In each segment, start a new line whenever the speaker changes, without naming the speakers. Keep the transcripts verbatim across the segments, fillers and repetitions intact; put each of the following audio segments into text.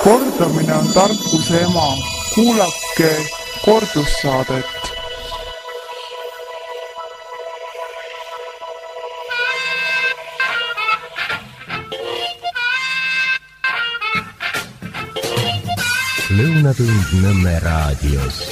Kordamine on tarkuse ema. Kuulake kordussaadet.
Lõunatund Nõmme raadios.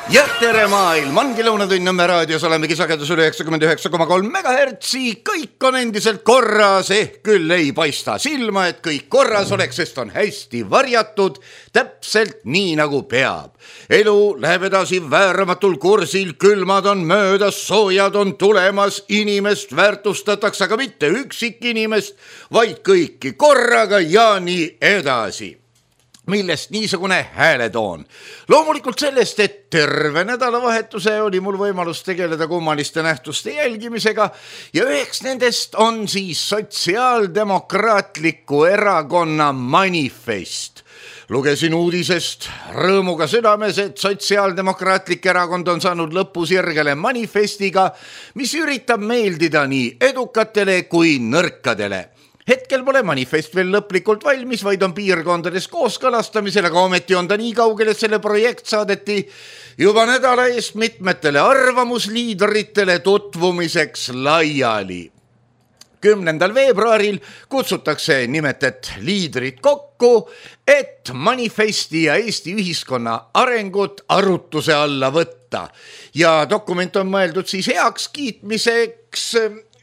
Ja tere maailm, ongi Lõunatund Nõmme raadios, olemegi sagedus üle üheksakümmend üheksa koma kolm megahertsi, kõik on endiselt korras, ehk küll ei paista silma, et kõik korras oleks, sest on hästi varjatud, täpselt nii nagu peab. Elu läheb edasi vääramatul kursil, külmad on möödas, soojad on tulemas, inimest väärtustatakse, aga mitte üksik inimest, vaid kõiki korraga ja nii edasi. Millest niisugune hääletoon? Loomulikult sellest, et terve nädalavahetuse oli mul võimalus tegeleda kummaliste nähtuste jälgimisega ja üheks nendest on siis Sotsiaaldemokraatliku erakonna manifest. Lugesin uudisest rõõmuga südames, et Sotsiaaldemokraatlik erakond on saanud lõpusirgele manifestiga, mis üritab meeldida nii edukatele kui nõrkadele. Hetkel pole manifest veel lõplikult valmis, vaid on piirkondades kooskõlastamisel, aga ometi on ta nii kaugel, et selle projekt saadeti juba nädala eest mitmetele arvamusliidritele tutvumiseks laiali. kümnendal veebruaril kutsutakse nimetet liidrid kokku, et manifesti ja Eesti ühiskonna arengut arutuse alla võtta. Ja dokument on mõeldud siis heaks kiitmiseks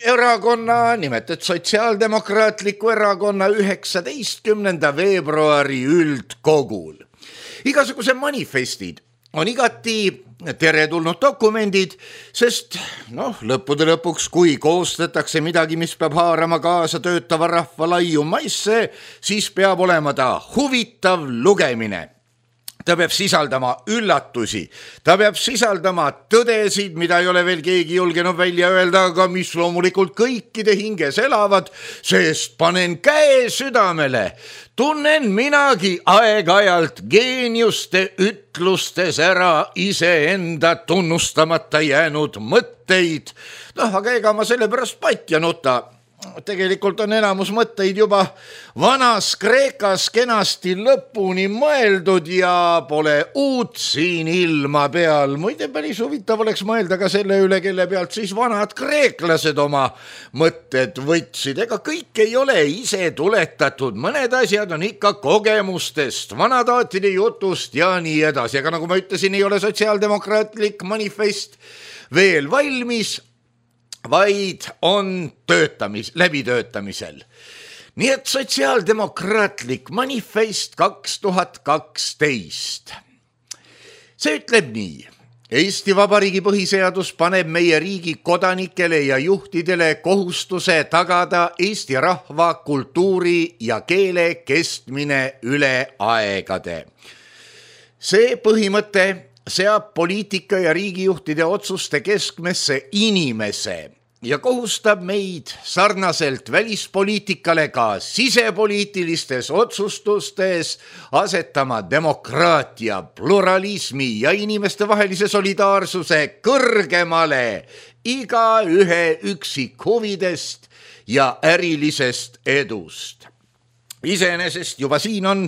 erakonna, nimetet Sotsiaaldemokraatliku erakonna üheksateistkümnenda veebruari üldkogul. Igasuguse manifestid on igati teretulnud dokumendid, sest noh, lõppude lõpuks, kui koostatakse midagi, mis peab haarama kaasa töötava rahva laiu maisse, siis peab olema ta huvitav lugemine. Ta peab sisaldama üllatusi, ta peab sisaldama tõdesid, mida ei ole veel keegi julgenud välja öelda, aga mis loomulikult kõikide hinges elavad, sest panen käe südamele. Tunnen minagi aeg-ajalt geeniuste ütlustes ära iseenda tunnustamata jäänud mõtteid. Noh, aga ega ma selle pärast patja nuta. Tegelikult on enamus mõtteid juba vanas Kreekas kenasti lõpuni mõeldud ja pole uut siin ilma peal. Muide, päris huvitav oleks mõelda ka selle üle, kelle pealt siis vanad kreeklased oma mõtted võtsid. Ega kõik ei ole ise tuletatud, mõned asjad on ikka kogemustest, vanadaatide jutust ja nii edasi. Aga nagu ma ütlesin, ei ole Sotsiaaldemokraatlik manifest veel valmis, vaid on töötamis, läbitöötamisel. Nii et Sotsiaaldemokraatlik manifest kaks tuhat kaksteist. See ütleb nii. Eesti Vabariigi põhiseadus paneb meie riigi kodanikele ja juhtidele kohustuse tagada Eesti rahva, kultuuri ja keele kestmine üle aegade. See põhimõte seab poliitika ja riigijuhtide otsuste keskmesse inimese ja kohustab meid sarnaselt välispoliitikale ka sisepoliitilistes otsustustes asetama demokraatia, pluralismi ja inimeste vahelise solidaarsuse kõrgemale iga ühe üksik huvidest ja ärilisest edust. Iseenesest juba siin on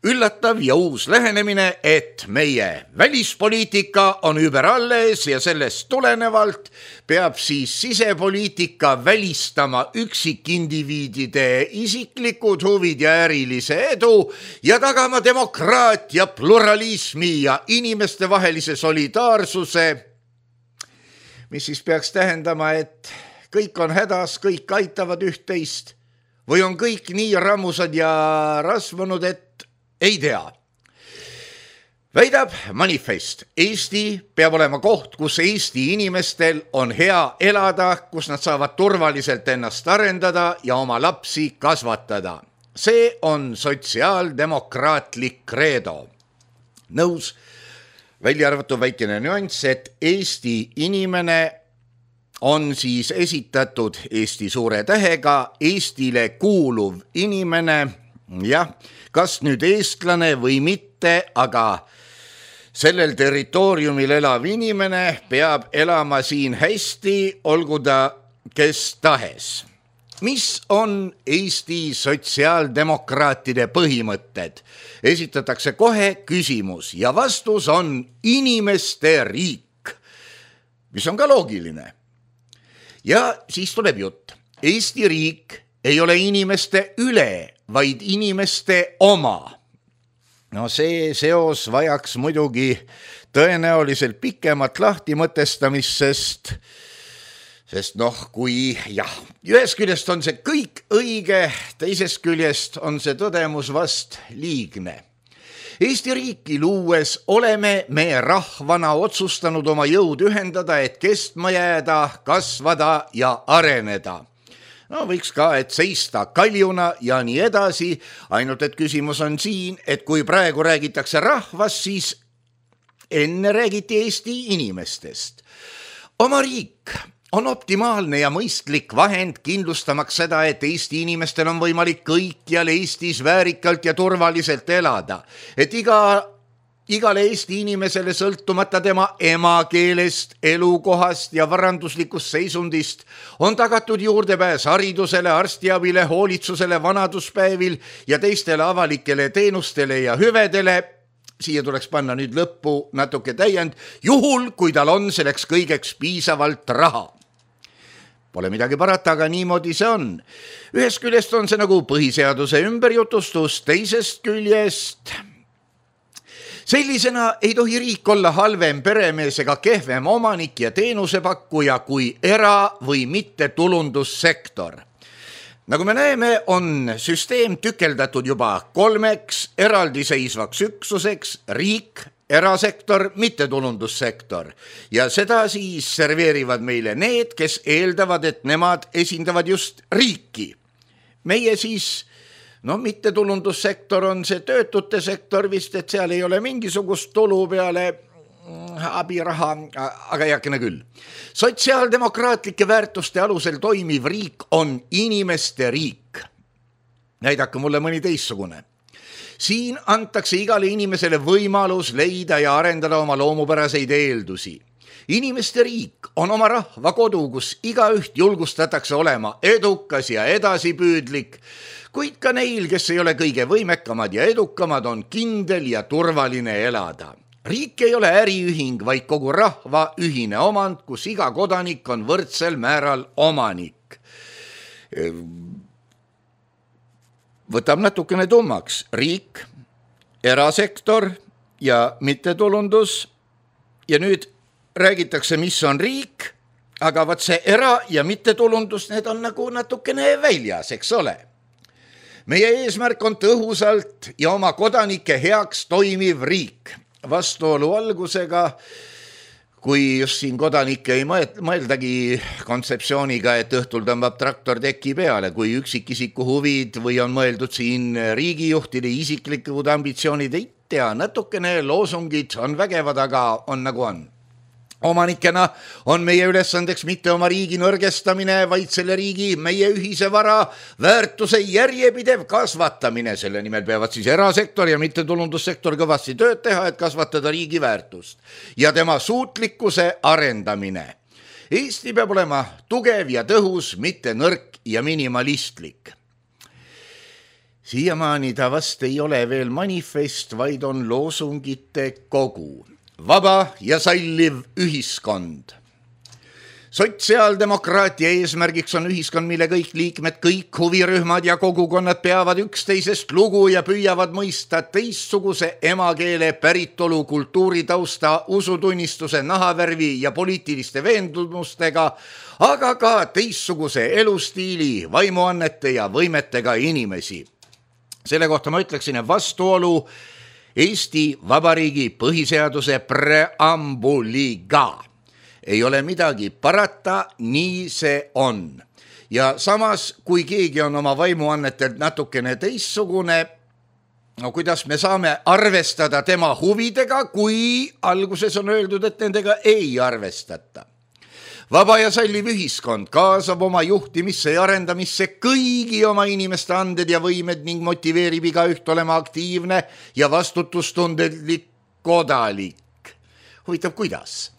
üllatav ja uus lähenemine, et meie välispoliitika on überalles ja sellest tulenevalt peab siis sisepoliitika välistama üksikindiviidide isiklikud huvid ja ärilise edu ja tagama demokraatia, pluralismi ja inimeste vahelise solidaarsuse, mis siis peaks tähendama, et kõik on hädas, kõik aitavad üht-teist. Või on kõik nii rammusad ja rasvunud, et ei tea. Väidab manifest. Eesti peab olema koht, kus Eesti inimestel on hea elada, kus nad saavad turvaliselt ennast arendada ja oma lapsi kasvatada. See on sotsiaaldemokraatlik kreedo. Nõus, välja arvatud väikene nüanss, et Eesti inimene on siis esitatud Eesti suure tähega Eestile kuuluv inimene, jah, kas nüüd eestlane või mitte, aga sellel territooriumil elav inimene peab elama siin hästi, olgu ta kes tahes. mis on Eesti sotsiaaldemokraatide põhimõtted? Esitatakse kohe küsimus ja vastus on inimeste riik, mis on ka loogiline. Ja siis tuleb jutt. Eesti riik ei ole inimeste üle, vaid inimeste oma. No see seos vajaks muidugi tõenäoliselt pikemat lahtimõtestamist, sest, sest noh, kui jah, ühest küljest on see kõik õige, teisest küljest on see tõdemus vast liigne. Eesti riiki luues oleme me rahvana otsustanud oma jõud ühendada, et kestma jääda, kasvada ja areneda. No võiks ka, et seista kaljuna ja nii edasi, ainult et küsimus on siin, et kui praegu räägitakse rahvast, siis enne räägiti Eesti inimestest. Oma riik on optimaalne ja mõistlik vahend kindlustamaks seda, et Eesti inimestel on võimalik kõikjal Eestis väärikalt ja turvaliselt elada, et iga Igale Eesti inimesele sõltumata tema emakeelest, elukohast ja varanduslikust seisundist on tagatud juurdepääs haridusele, arstiabile, hoolitsusele, vanaduspäevil ja teistele avalikele teenustele ja hüvedele. Siia tuleks panna nüüd lõppu natuke täiend, juhul kui tal on selleks kõigeks piisavalt raha. Pole midagi parata, aga niimoodi see on. Ühest küljest on see nagu põhiseaduse ümberjutustus, teisest küljest sellisena ei tohi riik olla halvem peremees ega kehvem omanik ja teenusepakkuja kui era- või mitte tulundussektor. Nagu me näeme, on süsteem tükeldatud juba kolmeks eraldiseisvaks üksuseks, riik, erasektor, mittetulundussektor. Ja seda siis serveerivad meile need, kes eeldavad, et nemad esindavad just riiki. Meie siis no mittetulundussektor on see töötute sektor vist, et seal ei ole mingisugust tulu peale abiraha, aga jakene küll. Sotsiaaldemokraatlike väärtuste alusel toimiv riik on inimeste riik. Näidake mulle mõni teistsugune. Siin antakse igale inimesele võimalus leida ja arendada oma loomupäraseid eeldusi. Inimeste riik on oma rahva kodu, kus igaüht julgustatakse olema edukas ja edasipüüdlik, kuid ka neil, kes ei ole kõige võimekamad ja edukamad, on kindel ja turvaline elada. Riik ei ole äriühing, vaid kogu rahva ühine omand, kus iga kodanik on võrdsel määral omanik. Võtab natukene tummaks. Riik, erasektor ja mittetulundus. Ja nüüd räägitakse, mis on riik, aga vaat see era- ja mittetulundus, need on nagu natukene väljas, eks ole. Meie eesmärk on tõhusalt ja oma kodanike heaks toimiv riik. Vastuolu algusega, kui just siin kodanikke ei mõeldagi kontseptsiooniga, et õhtul tõmbab traktor teki peale, kui üksikisiku huvid või on mõeldud siin riigijuhtide isiklikud ambitsioonid, ei tea, natukene loosungid on vägevad, aga on nagu on. Omanikena on meie ülesandeks mitte oma riigi nõrgestamine, vaid selle riigi meie ühise vara väärtuse järjepidev kasvatamine. Selle nimel peavad siis erasektor ja mittetulundussektor kõvasti tööd teha, et kasvatada riigi väärtust ja tema suutlikkuse arendamine. Eesti peab olema tugev ja tõhus, mitte nõrk ja minimalistlik. Siiamaani ta vast ei ole veel manifest, vaid on loosungite kogu. Vaba ja salliv ühiskond. Sotsiaaldemokraatia eesmärgiks on ühiskond, mille kõik liikmed, kõik huvirühmad ja kogukonnad peavad üksteisest lugu ja püüavad mõista teistsuguse emakeele, päritolu, kultuuritausta, usutunnistuse, nahavärvi ja poliitiliste veendumustega, aga ka teistsuguse elustiili, vaimuannete ja võimetega inimesi. Selle kohta ma ütleksin, et vastuolu Eesti Vabariigi põhiseaduse preambuliga. Ei ole midagi parata, nii see on. Ja samas, kui keegi on oma vaimuannetelt natukene teistsugune, no kuidas me saame arvestada tema huvidega, kui alguses on öeldud, et nendega ei arvestata. Vaba ja salliv ühiskond kaasab oma juhtimisse ja arendamisse kõigi oma inimeste anded ja võimed ning motiveerib igaüht olema aktiivne ja vastutustundelik kodanik. Huvitav, kuidas?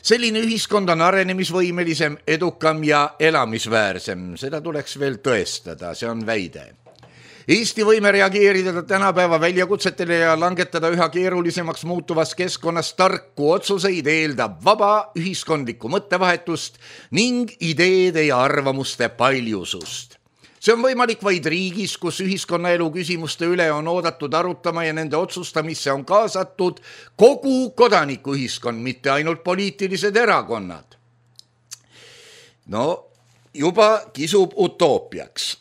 Selline ühiskond on arenemisvõimelisem, edukam ja elamisväärsem. Seda tuleks veel tõestada, see on väide. Eesti võime reageerida tänapäeva väljakutsetele ja langetada üha keerulisemaks muutuvas keskkonnas tarku otsuseid eeldab vaba ühiskondlikku mõttevahetust ning ideede ja arvamuste paljusust. See on võimalik vaid riigis, kus ühiskonnaelu küsimuste üle on oodatud arutama ja nende otsustamisse on kaasatud kogu kodanikuühiskond, mitte ainult poliitilised erakonnad. No, juba kisub utoopiaks.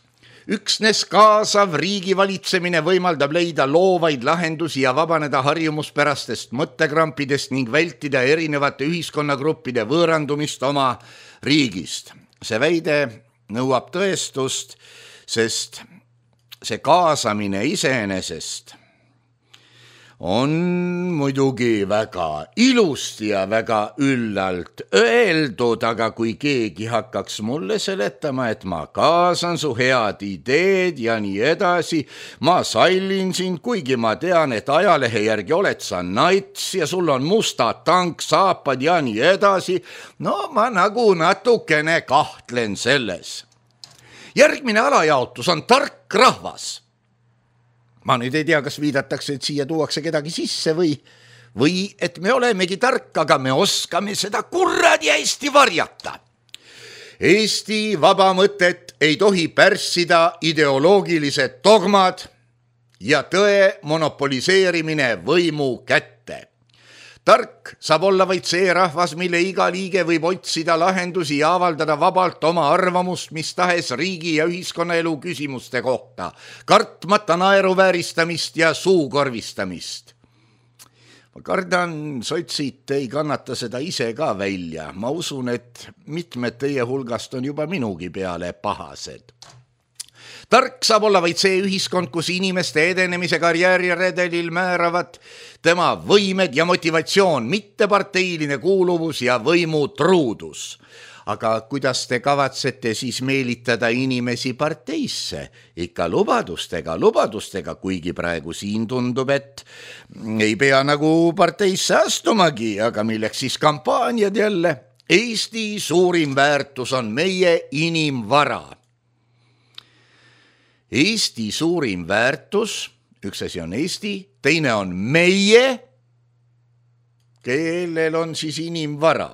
Üksnes kaasav riigi valitsemine võimaldab leida loovaid lahendusi ja vabaneda harjumuspärastest mõttekrampidest ning vältida erinevate ühiskonnagruppide võõrandumist oma riigist. See väide nõuab tõestust, sest see kaasamine iseenesest on muidugi väga ilusti ja väga üllalt öeldud, aga kui keegi hakkaks mulle seletama, et ma kaasan su head ideed ja nii edasi, ma sallin sind, kuigi ma tean, et ajalehe järgi oled sa nats ja sul on musta tank, saapad ja nii edasi, no ma nagu natukene kahtlen selles. Järgmine alajaotus on tark rahvas. Ma nüüd ei tea, kas viidatakse, et siia tuuakse kedagi sisse või, või et me olemegi tark, aga me oskame seda kurradi hästi varjata. Eesti vaba mõtet ei tohi pärssida ideoloogilised dogmad ja tõe monopoliseerimine võimu kätte. Tark saab olla vaid see rahvas, mille iga liige võib otsida lahendusi ja avaldada vabalt oma arvamust mis tahes riigi ja ühiskonnaelu küsimuste kohta, kartmata naeruvääristamist ja suukorvistamist. Ma kardan, sotsid ei kannata seda ise ka välja. Ma usun, et mitmed teie hulgast on juba minugi peale pahased. Tark saab olla vaid see ühiskond, kus inimeste edenemise karjääriredelil määravad tema võimed ja motivatsioon, mitte parteiline kuuluvus ja võimu truudus. Aga kuidas te kavatsete siis meelitada inimesi parteisse? Ikka lubadustega, lubadustega, kuigi praegu siin tundub, et ei pea nagu parteisse astumagi, aga milleks siis kampaaniad jälle? Eesti suurim väärtus on meie inimvara. Eesti suurim väärtus, üks asi on Eesti, teine on meie, kellel on siis inimvara.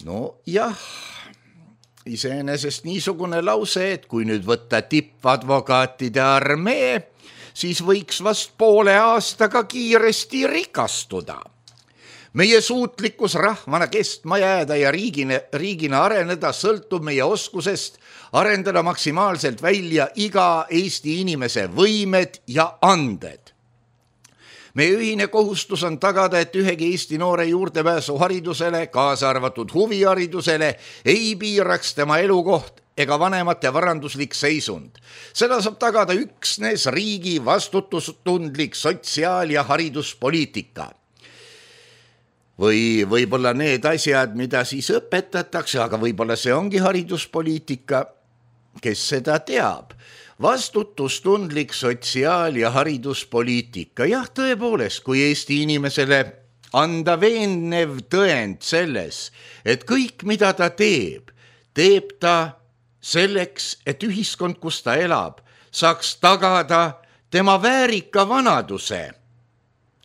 No jah, iseenesest niisugune lause, et kui nüüd võtta tippadvokaatide armee, siis võiks vast poole aastaga kiiresti rikastuda. Meie suutlikkus rahvana kestma jääda ja riigina, riigina areneda sõltub meie oskusest arendada maksimaalselt välja iga Eesti inimese võimed ja anded. Meie ühine kohustus on tagada, et ühegi Eesti noore juurdepääsu haridusele, kaasa arvatud huviharidusele, ei piiraks tema elukoht ega vanemate varanduslik seisund. Seda saab tagada üksnes riigi vastutustundlik sotsiaal- ja hariduspoliitika. Või võib-olla need asjad, mida siis õpetatakse, aga võib-olla see ongi hariduspoliitika, kes seda teab. Vastutustundlik sotsiaal- ja hariduspoliitika. Jah, tõepoolest, kui Eesti inimesele anda veenev tõend selles, et kõik, mida ta teeb, teeb ta selleks, et ühiskond, kus ta elab, saaks tagada tema väärika vanaduse.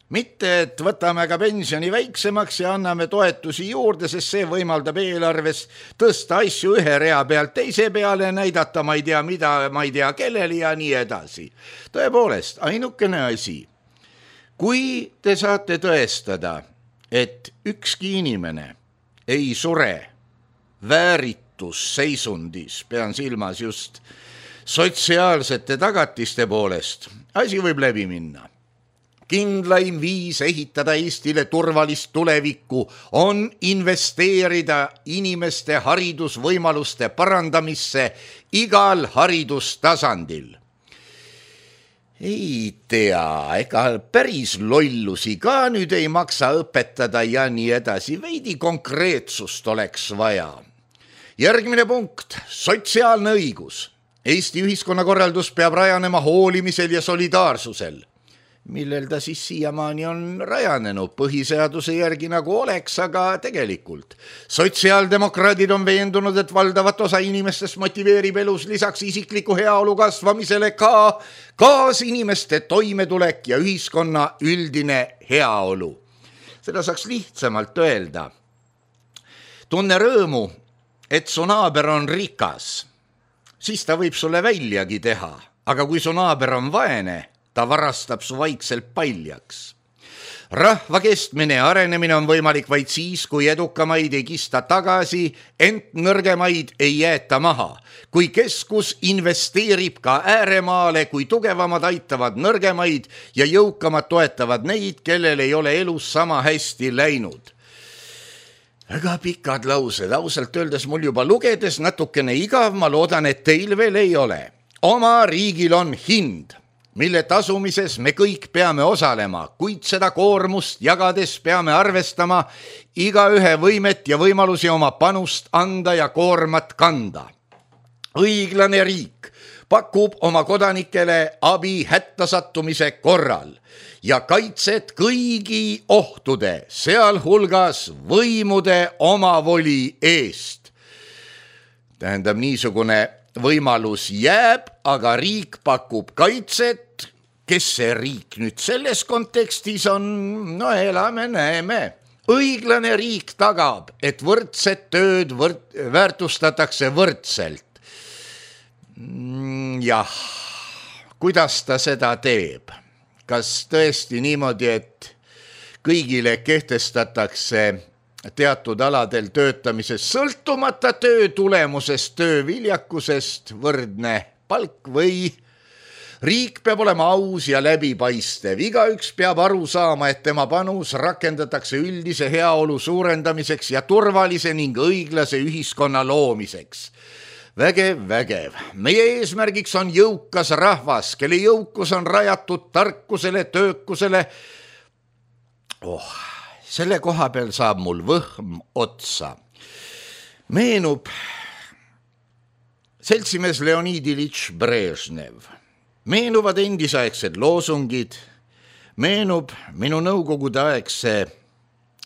Mitte, et võtame ka pensioni väiksemaks ja anname toetusi juurde, sest see võimaldab eelarves tõsta asju ühe rea pealt teise peale, näidata ma ei tea mida, ma ei tea kellele ja nii edasi. Tõepoolest, ainukene asi, kui te saate tõestada, et ükski inimene ei sure vääritusseisundis, pean silmas just sotsiaalsete tagatiste poolest, asi võib läbi minna. Kindlaim viis ehitada Eestile turvalist tulevikku on investeerida inimeste haridusvõimaluste parandamisse igal haridustasandil. Ei tea, ega päris lollusi ka nüüd ei maksa õpetada ja nii edasi, veidi konkreetsust oleks vaja. Järgmine punkt, sotsiaalne õigus. Eesti ühiskonnakorraldus peab rajanema hoolimisel ja solidaarsusel. millel ta siis siiamaani on rajanenud põhiseaduse järgi nagu oleks, aga tegelikult. Sotsiaaldemokraadid on veendunud, et valdavat osa inimestest motiveerib elus lisaks isikliku heaolu kasvamisele ka kaasinimeste toimetulek ja ühiskonna üldine heaolu. Seda saaks lihtsamalt öelda. Tunne rõõmu, et su naaber on rikas, siis ta võib sulle väljagi teha, aga kui su naaber on vaene, ta varastab su vaikselt paljaks. Rahva kestmine ja arenemine on võimalik vaid siis, kui edukamaid ei kista tagasi, ent nõrgemaid ei jäeta maha. Kui keskus investeerib ka ääremaale, kui tugevamad aitavad nõrgemaid ja jõukamad toetavad neid, kellel ei ole elus sama hästi läinud. Väga pikad laused, ausalt öeldes mul juba lugedes natukene igav, ma loodan, et teil veel ei ole. Oma riigil on hind, mille tasumises me kõik peame osalema, kuid seda koormust jagades peame arvestama igaühe võimet ja võimalusi oma panust anda ja koormat kanda. Õiglane riik pakub oma kodanikele abi hätta sattumise korral ja kaitset kõigi ohtude, sealhulgas võimude omavoli eest. Tähendab, niisugune võimalus jääb, aga riik pakub kaitset. Kes see riik nüüd selles kontekstis on? No elame, näeme. Õiglane riik tagab, et võrdset tööd võrd... väärtustatakse võrdselt. Jah, kuidas ta seda teeb? Kas tõesti niimoodi, et kõigile kehtestatakse teatud aladel töötamises sõltumata töö tulemusest, töö viljakusest võrdne palk või riik peab olema aus ja läbipaistev. Igaüks peab aru saama, et tema panus rakendatakse üldise heaolu suurendamiseks ja turvalise ning õiglase ühiskonna loomiseks. Vägev, vägev. Meie eesmärgiks on jõukas rahvas, kelle jõukus on rajatud tarkusele, töökusele. Oh, selle koha peal saab mul võhm otsa. Meenub seltsimees Leonid Ilitš Brežnev. Meenuvad endisaegsed loosungid, meenub minu nõukogudeaegse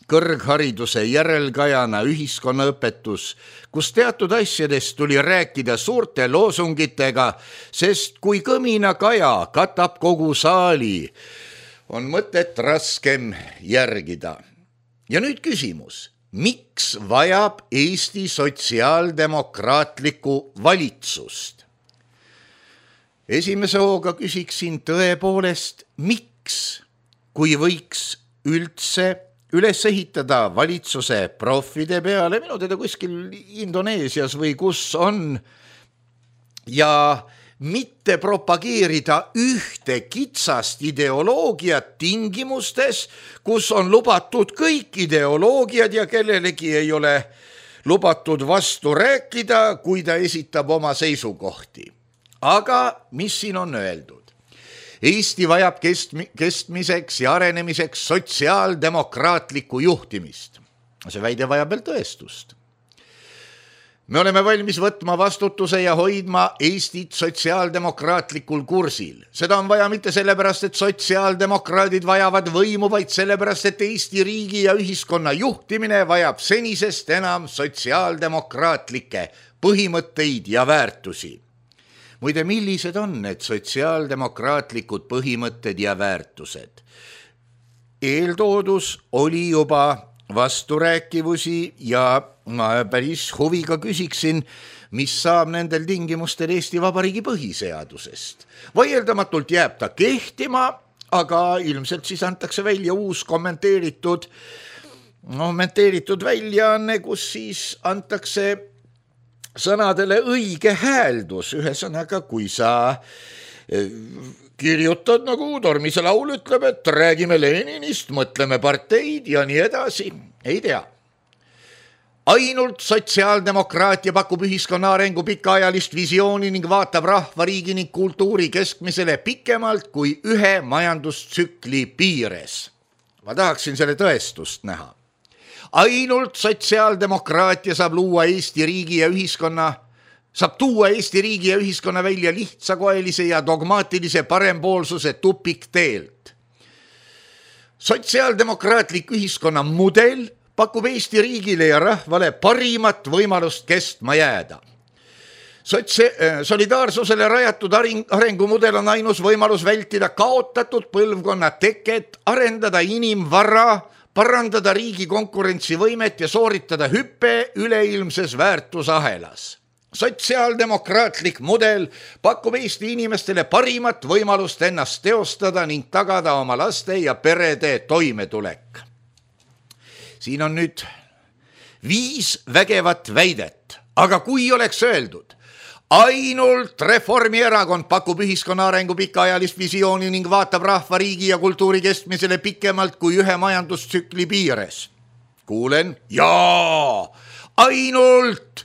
kõrghariduse järelkajana ühiskonnaõpetus, kus teatud asjadest tuli rääkida suurte loosungitega, sest kui kõmina kaja katab kogu saali, on mõtet raskem järgida. Ja nüüd küsimus, miks vajab Eesti sotsiaaldemokraatlikku valitsust? Esimese hooga küsiksin tõepoolest, miks, kui võiks üldse üles ehitada valitsuse profide peale, minu teda kuskil Indoneesias või kus on, ja mitte propageerida ühte kitsast ideoloogiat tingimustes, kus on lubatud kõik ideoloogiad ja kellelegi ei ole lubatud vastu rääkida, kui ta esitab oma seisukohti. Aga mis siin on öeldud? Eesti vajab kestmi, kestmiseks ja arenemiseks sotsiaaldemokraatlikku juhtimist. See väide vajab veel tõestust. Me oleme valmis võtma vastutuse ja hoidma Eestit sotsiaaldemokraatlikul kursil. Seda on vaja mitte sellepärast, et sotsiaaldemokraadid vajavad võimu, vaid sellepärast, et Eesti riigi ja ühiskonna juhtimine vajab senisest enam sotsiaaldemokraatlikke põhimõtteid ja väärtusi. Muide, millised on need sotsiaaldemokraatlikud põhimõtted ja väärtused? Eeltoodus oli juba vasturääkivusi ja ma päris huviga küsiksin, mis saab nendel tingimustel Eesti Vabariigi põhiseadusest. Vaieldamatult jääb ta kehtima, aga ilmselt siis antakse välja uus kommenteeritud, kommenteeritud väljaanne, kus siis antakse sõnadele õige hääldus. Ühesõnaga, kui sa kirjutad, nagu Tormise laul ütleb, et räägime Leninist, mõtleme parteid ja nii edasi, ei tea. Ainult sotsiaaldemokraatia pakub ühiskonna arengu pikaajalist visiooni ning vaatab rahvariigi ning kultuuri keskmisele pikemalt kui ühe majandustsükli piires. Ma tahaksin selle tõestust näha. Ainult sotsiaaldemokraatia saab luua Eesti riigi ja ühiskonna, saab tuua Eesti riigi ja ühiskonna välja lihtsakoelise ja dogmaatilise parempoolsuse tupikteelt. sotsiaaldemokraatlik ühiskonna mudel pakub Eesti riigile ja rahvale parimat võimalust kestma jääda. Sotsi- solidaarsusele rajatud arengumudel on ainus võimalus vältida kaotatud põlvkonna teket, arendada inimvara, parandada riigi konkurentsivõimet ja sooritada hüppe üleilmses väärtusahelas. Sotsiaaldemokraatlik mudel pakub Eesti inimestele parimat võimalust ennast teostada ning tagada oma laste ja perede toimetulek. Siin on nüüd viis vägevat väidet, aga kui oleks öeldud, ainult Reformierakond pakub ühiskonna arengu pikaajalist visiooni ning vaatab rahva, riigi ja kultuuri kestmisele pikemalt kui ühe majandustsükli piires. Kuulen, jaa, ainult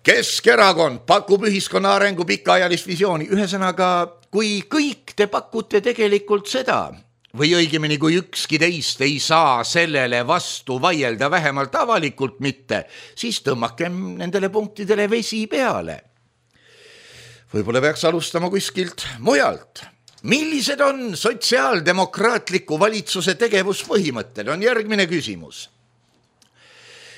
Keskerakond pakub ühiskonna arengu pikaajalist visiooni. Ühesõnaga, kui kõik te pakute tegelikult seda, või õigemini kui ükski teist ei saa sellele vastu vaielda, vähemalt avalikult mitte, siis tõmmakem nendele punktidele vesi peale. Võib-olla peaks alustama kuskilt mujalt. Millised on sotsiaaldemokraatliku valitsuse tegevuspõhimõtted, on järgmine küsimus.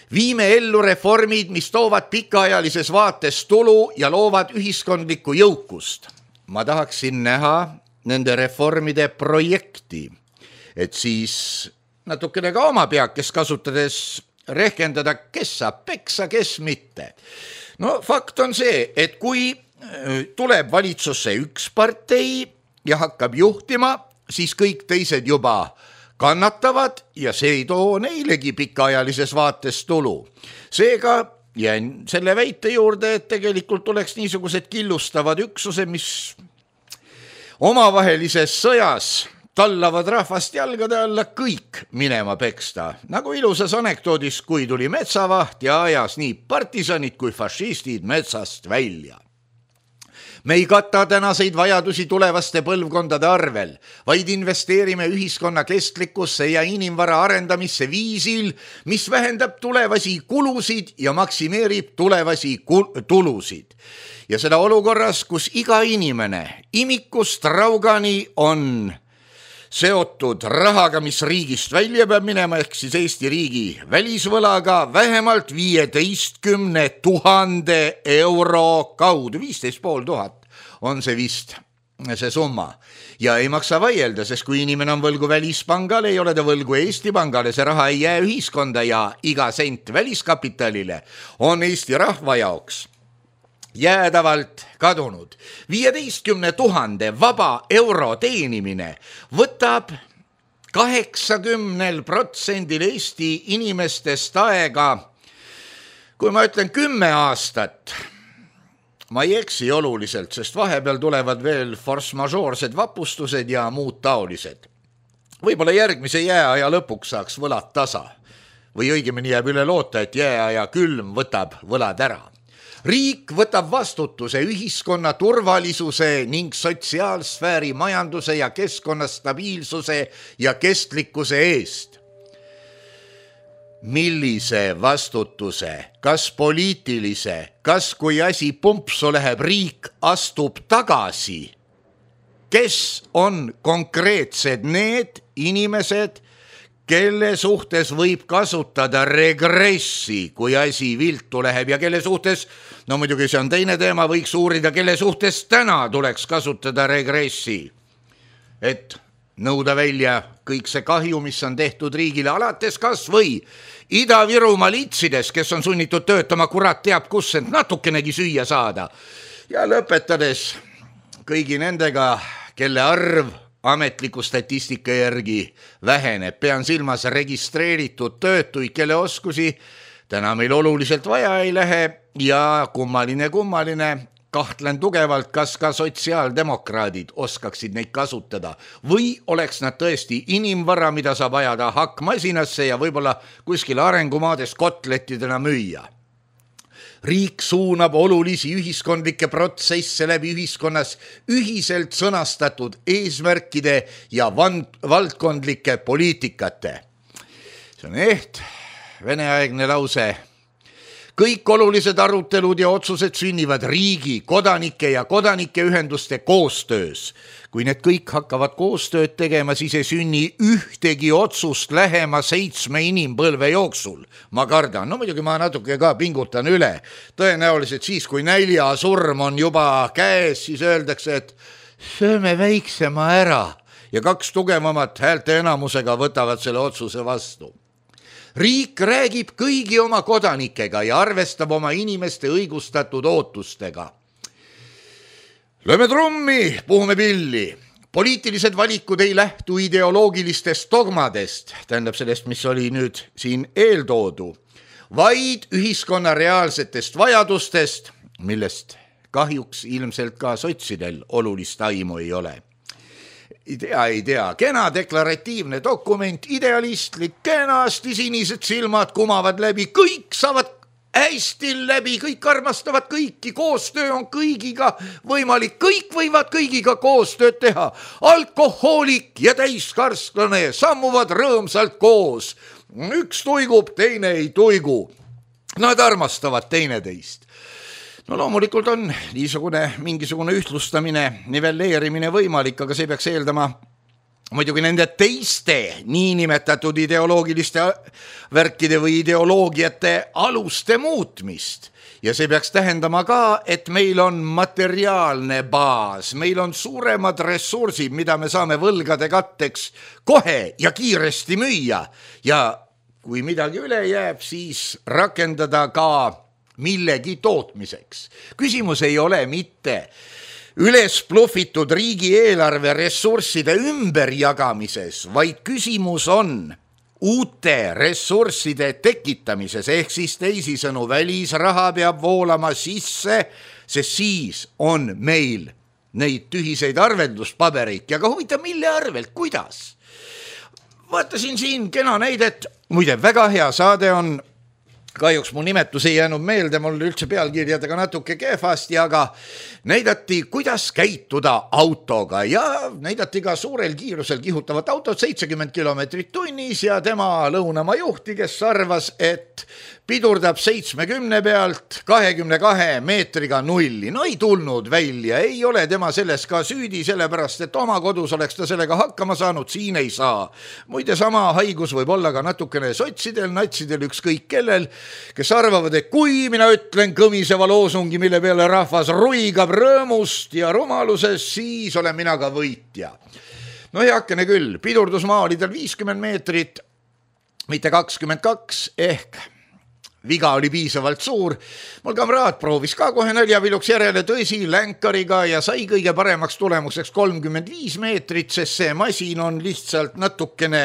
Viime ellu reformid, mis toovad pikaajalises vaates tulu ja loovad ühiskondlikku jõukust. Ma tahaksin näha nende reformide projekti, et siis natukene ka oma peakes kasutades rehkendada, kes saab peksa, kes mitte. No fakt on see, et kui tuleb valitsusse üks partei ja hakkab juhtima, siis kõik teised juba kannatavad ja see ei too neilegi pikaajalises vaates tulu. Seega jään selle väite juurde, et tegelikult oleks niisugused killustavad üksused, mis omavahelises sõjas tallavad rahvast jalgade alla kõik minema peksta. Nagu ilusas anekdoodis, kui tuli metsavaht ja ajas nii partisanid kui fašistid metsast välja. Me ei kata tänaseid vajadusi tulevaste põlvkondade arvel, vaid investeerime ühiskonna kestlikkusse ja inimvara arendamisse viisil, mis vähendab tulevasi kulusid ja maksimeerib tulevasi tulusid. Ja seda olukorras, kus iga inimene imikust raugani on seotud rahaga, mis riigist välja peab minema, ehk siis Eesti riigi välisvõlaga vähemalt viieteistkümne tuhande euro kaudu, viisteist pool tuhat on see vist see summa. Ja ei maksa vaielda, sest kui inimene on võlgu välispangale, ei ole ta võlgu Eesti pangale, see raha ei jää ühiskonda ja iga sent väliskapitalile on Eesti rahva jaoks jäädavalt kadunud. viieteistkümne tuhande vaba euro teenimine võtab kaheksakümnel protsendil Eesti inimestest aega, kui ma ütlen kümme aastat, ma ei eksi oluliselt, sest vahepeal tulevad veel force-majoorsed vapustused ja muud taolised. Võib-olla järgmise jääaja lõpuks saaks võlad tasa või õigemini jääb üle loota, et jääaja külm võtab võlad ära. Riik võtab vastutuse ühiskonna turvalisuse ning sotsiaalsfääri majanduse ja keskkonna stabiilsuse ja kestlikkuse eest. Millise vastutuse, kas poliitilise, kas kui asi pumpsu läheb, riik astub tagasi? Kes on konkreetsed need inimesed, kelle suhtes võib kasutada regressi, kui asi viltu läheb ja kelle suhtes, no muidugi see on teine teema, võiks uurida, kelle suhtes täna tuleks kasutada regressi, et nõuda välja kõik see kahju, mis on tehtud riigile alates kas või Ida-Virumaa litsides, kes on sunnitud töötama kurat teab kus, et natukenegi süüa saada. Ja lõpetades kõigi nendega, kelle arv ametliku statistika järgi väheneb, pean silmas registreeritud töötuid, kelle oskusi täna meil oluliselt vaja ei lähe ja kummaline kummaline, kahtlen tugevalt, kas ka sotsiaaldemokraadid oskaksid neid kasutada või oleks nad tõesti inimvara, mida saab ajada hakkmasinasse ja võib-olla kuskil arengumaades kotlettidena müüa. Riik suunab olulisi ühiskondlikke protsesse läbi ühiskonnas ühiselt sõnastatud eesmärkide ja valdkondlike poliitikate. See on eht veneaegne lause. kõik olulised arutelud ja otsused sünnivad riigi, kodanike ja kodanike ühenduste koostöös. Kui need kõik hakkavad koostööd tegema, siis ei sünni ühtegi otsust lähema seitsme inimpõlve jooksul. Ma kardan, no muidugi ma natuke ka pingutan üle. Tõenäoliselt siis, kui näljasurm on juba käes, siis öeldakse, et sööme väiksema ära ja kaks tugevamat häälte enamusega võtavad selle otsuse vastu. Riik räägib kõigi oma kodanikega ja arvestab oma inimeste õigustatud ootustega. Lööme trummi, puhume pilli. Poliitilised valikud ei lähtu ideoloogilistest dogmadest, tähendab sellest, mis oli nüüd siin eeltoodu, vaid ühiskonna reaalsetest vajadustest, millest kahjuks ilmselt ka sotsidel olulist aimu ei ole. Ei tea, ei tea, kena deklaratiivne dokument, idealistlik, kenasti sinised silmad kumavad läbi, kõik saavad hästi läbi, kõik armastavad kõiki, koostöö on kõigiga võimalik, kõik võivad kõigiga koostööd teha. Alkohoolik ja täiskarslane sammuvad rõõmsalt koos. Üks tuigub, teine ei tuigu. Nad armastavad teineteist. No loomulikult on niisugune mingisugune ühtlustamine, nivelleerimine võimalik, aga see peaks eeldama muidugi nende teiste niinimetatud ideoloogiliste värkide või ideoloogiate aluste muutmist. Ja see peaks tähendama ka, et meil on materiaalne baas, meil on suuremad ressursid, mida me saame võlgade katteks kohe ja kiiresti müüa. Ja kui midagi üle jääb, siis rakendada ka millegi tootmiseks. Küsimus ei ole mitte üles pluffitud riigieelarve ressursside ümberjagamises, vaid küsimus on uute ressursside tekitamises, ehk siis teisisõnu välisraha peab voolama sisse, sest siis on meil neid tühiseid arvelduspabereid ja ka huvitav, mille arvelt, kuidas. Vaatasin siin kena näidet, muide väga hea saade on, kahjuks mu nimetus ei jäänud meelde, mul üldse pealkirjadega natuke kehvasti, aga näidati, kuidas käituda autoga ja näidati ka suurel kiirusel kihutavat autot seitsekümmend kilomeetrit tunnis ja tema lõunamaa juhti, kes arvas, et pidurdab seitsmekümne pealt kahekümne kahe meetriga nulli. No ei tulnud välja, ei ole tema selles ka süüdi, sellepärast, et oma kodus oleks ta sellega hakkama saanud, siin ei saa. Muide, sama haigus võib olla ka natukene sotsidel, natsidel, ükskõik kellel, kes arvavad, et kui mina ütlen kõmiseva loosungi, mille peale rahvas ruigab rõõmust ja rumalusest, siis olen mina ka võitja. No heakene küll, pidurdusmaa oli tal viiskümmend meetrit, mitte kakskümmend kaks, ehk viga oli piisavalt suur. Mul kamraad proovis ka kohe naljaviluks järele tõsi länkariga ja sai kõige paremaks tulemuseks kolmkümmend viis meetrit, sest see masin on lihtsalt natukene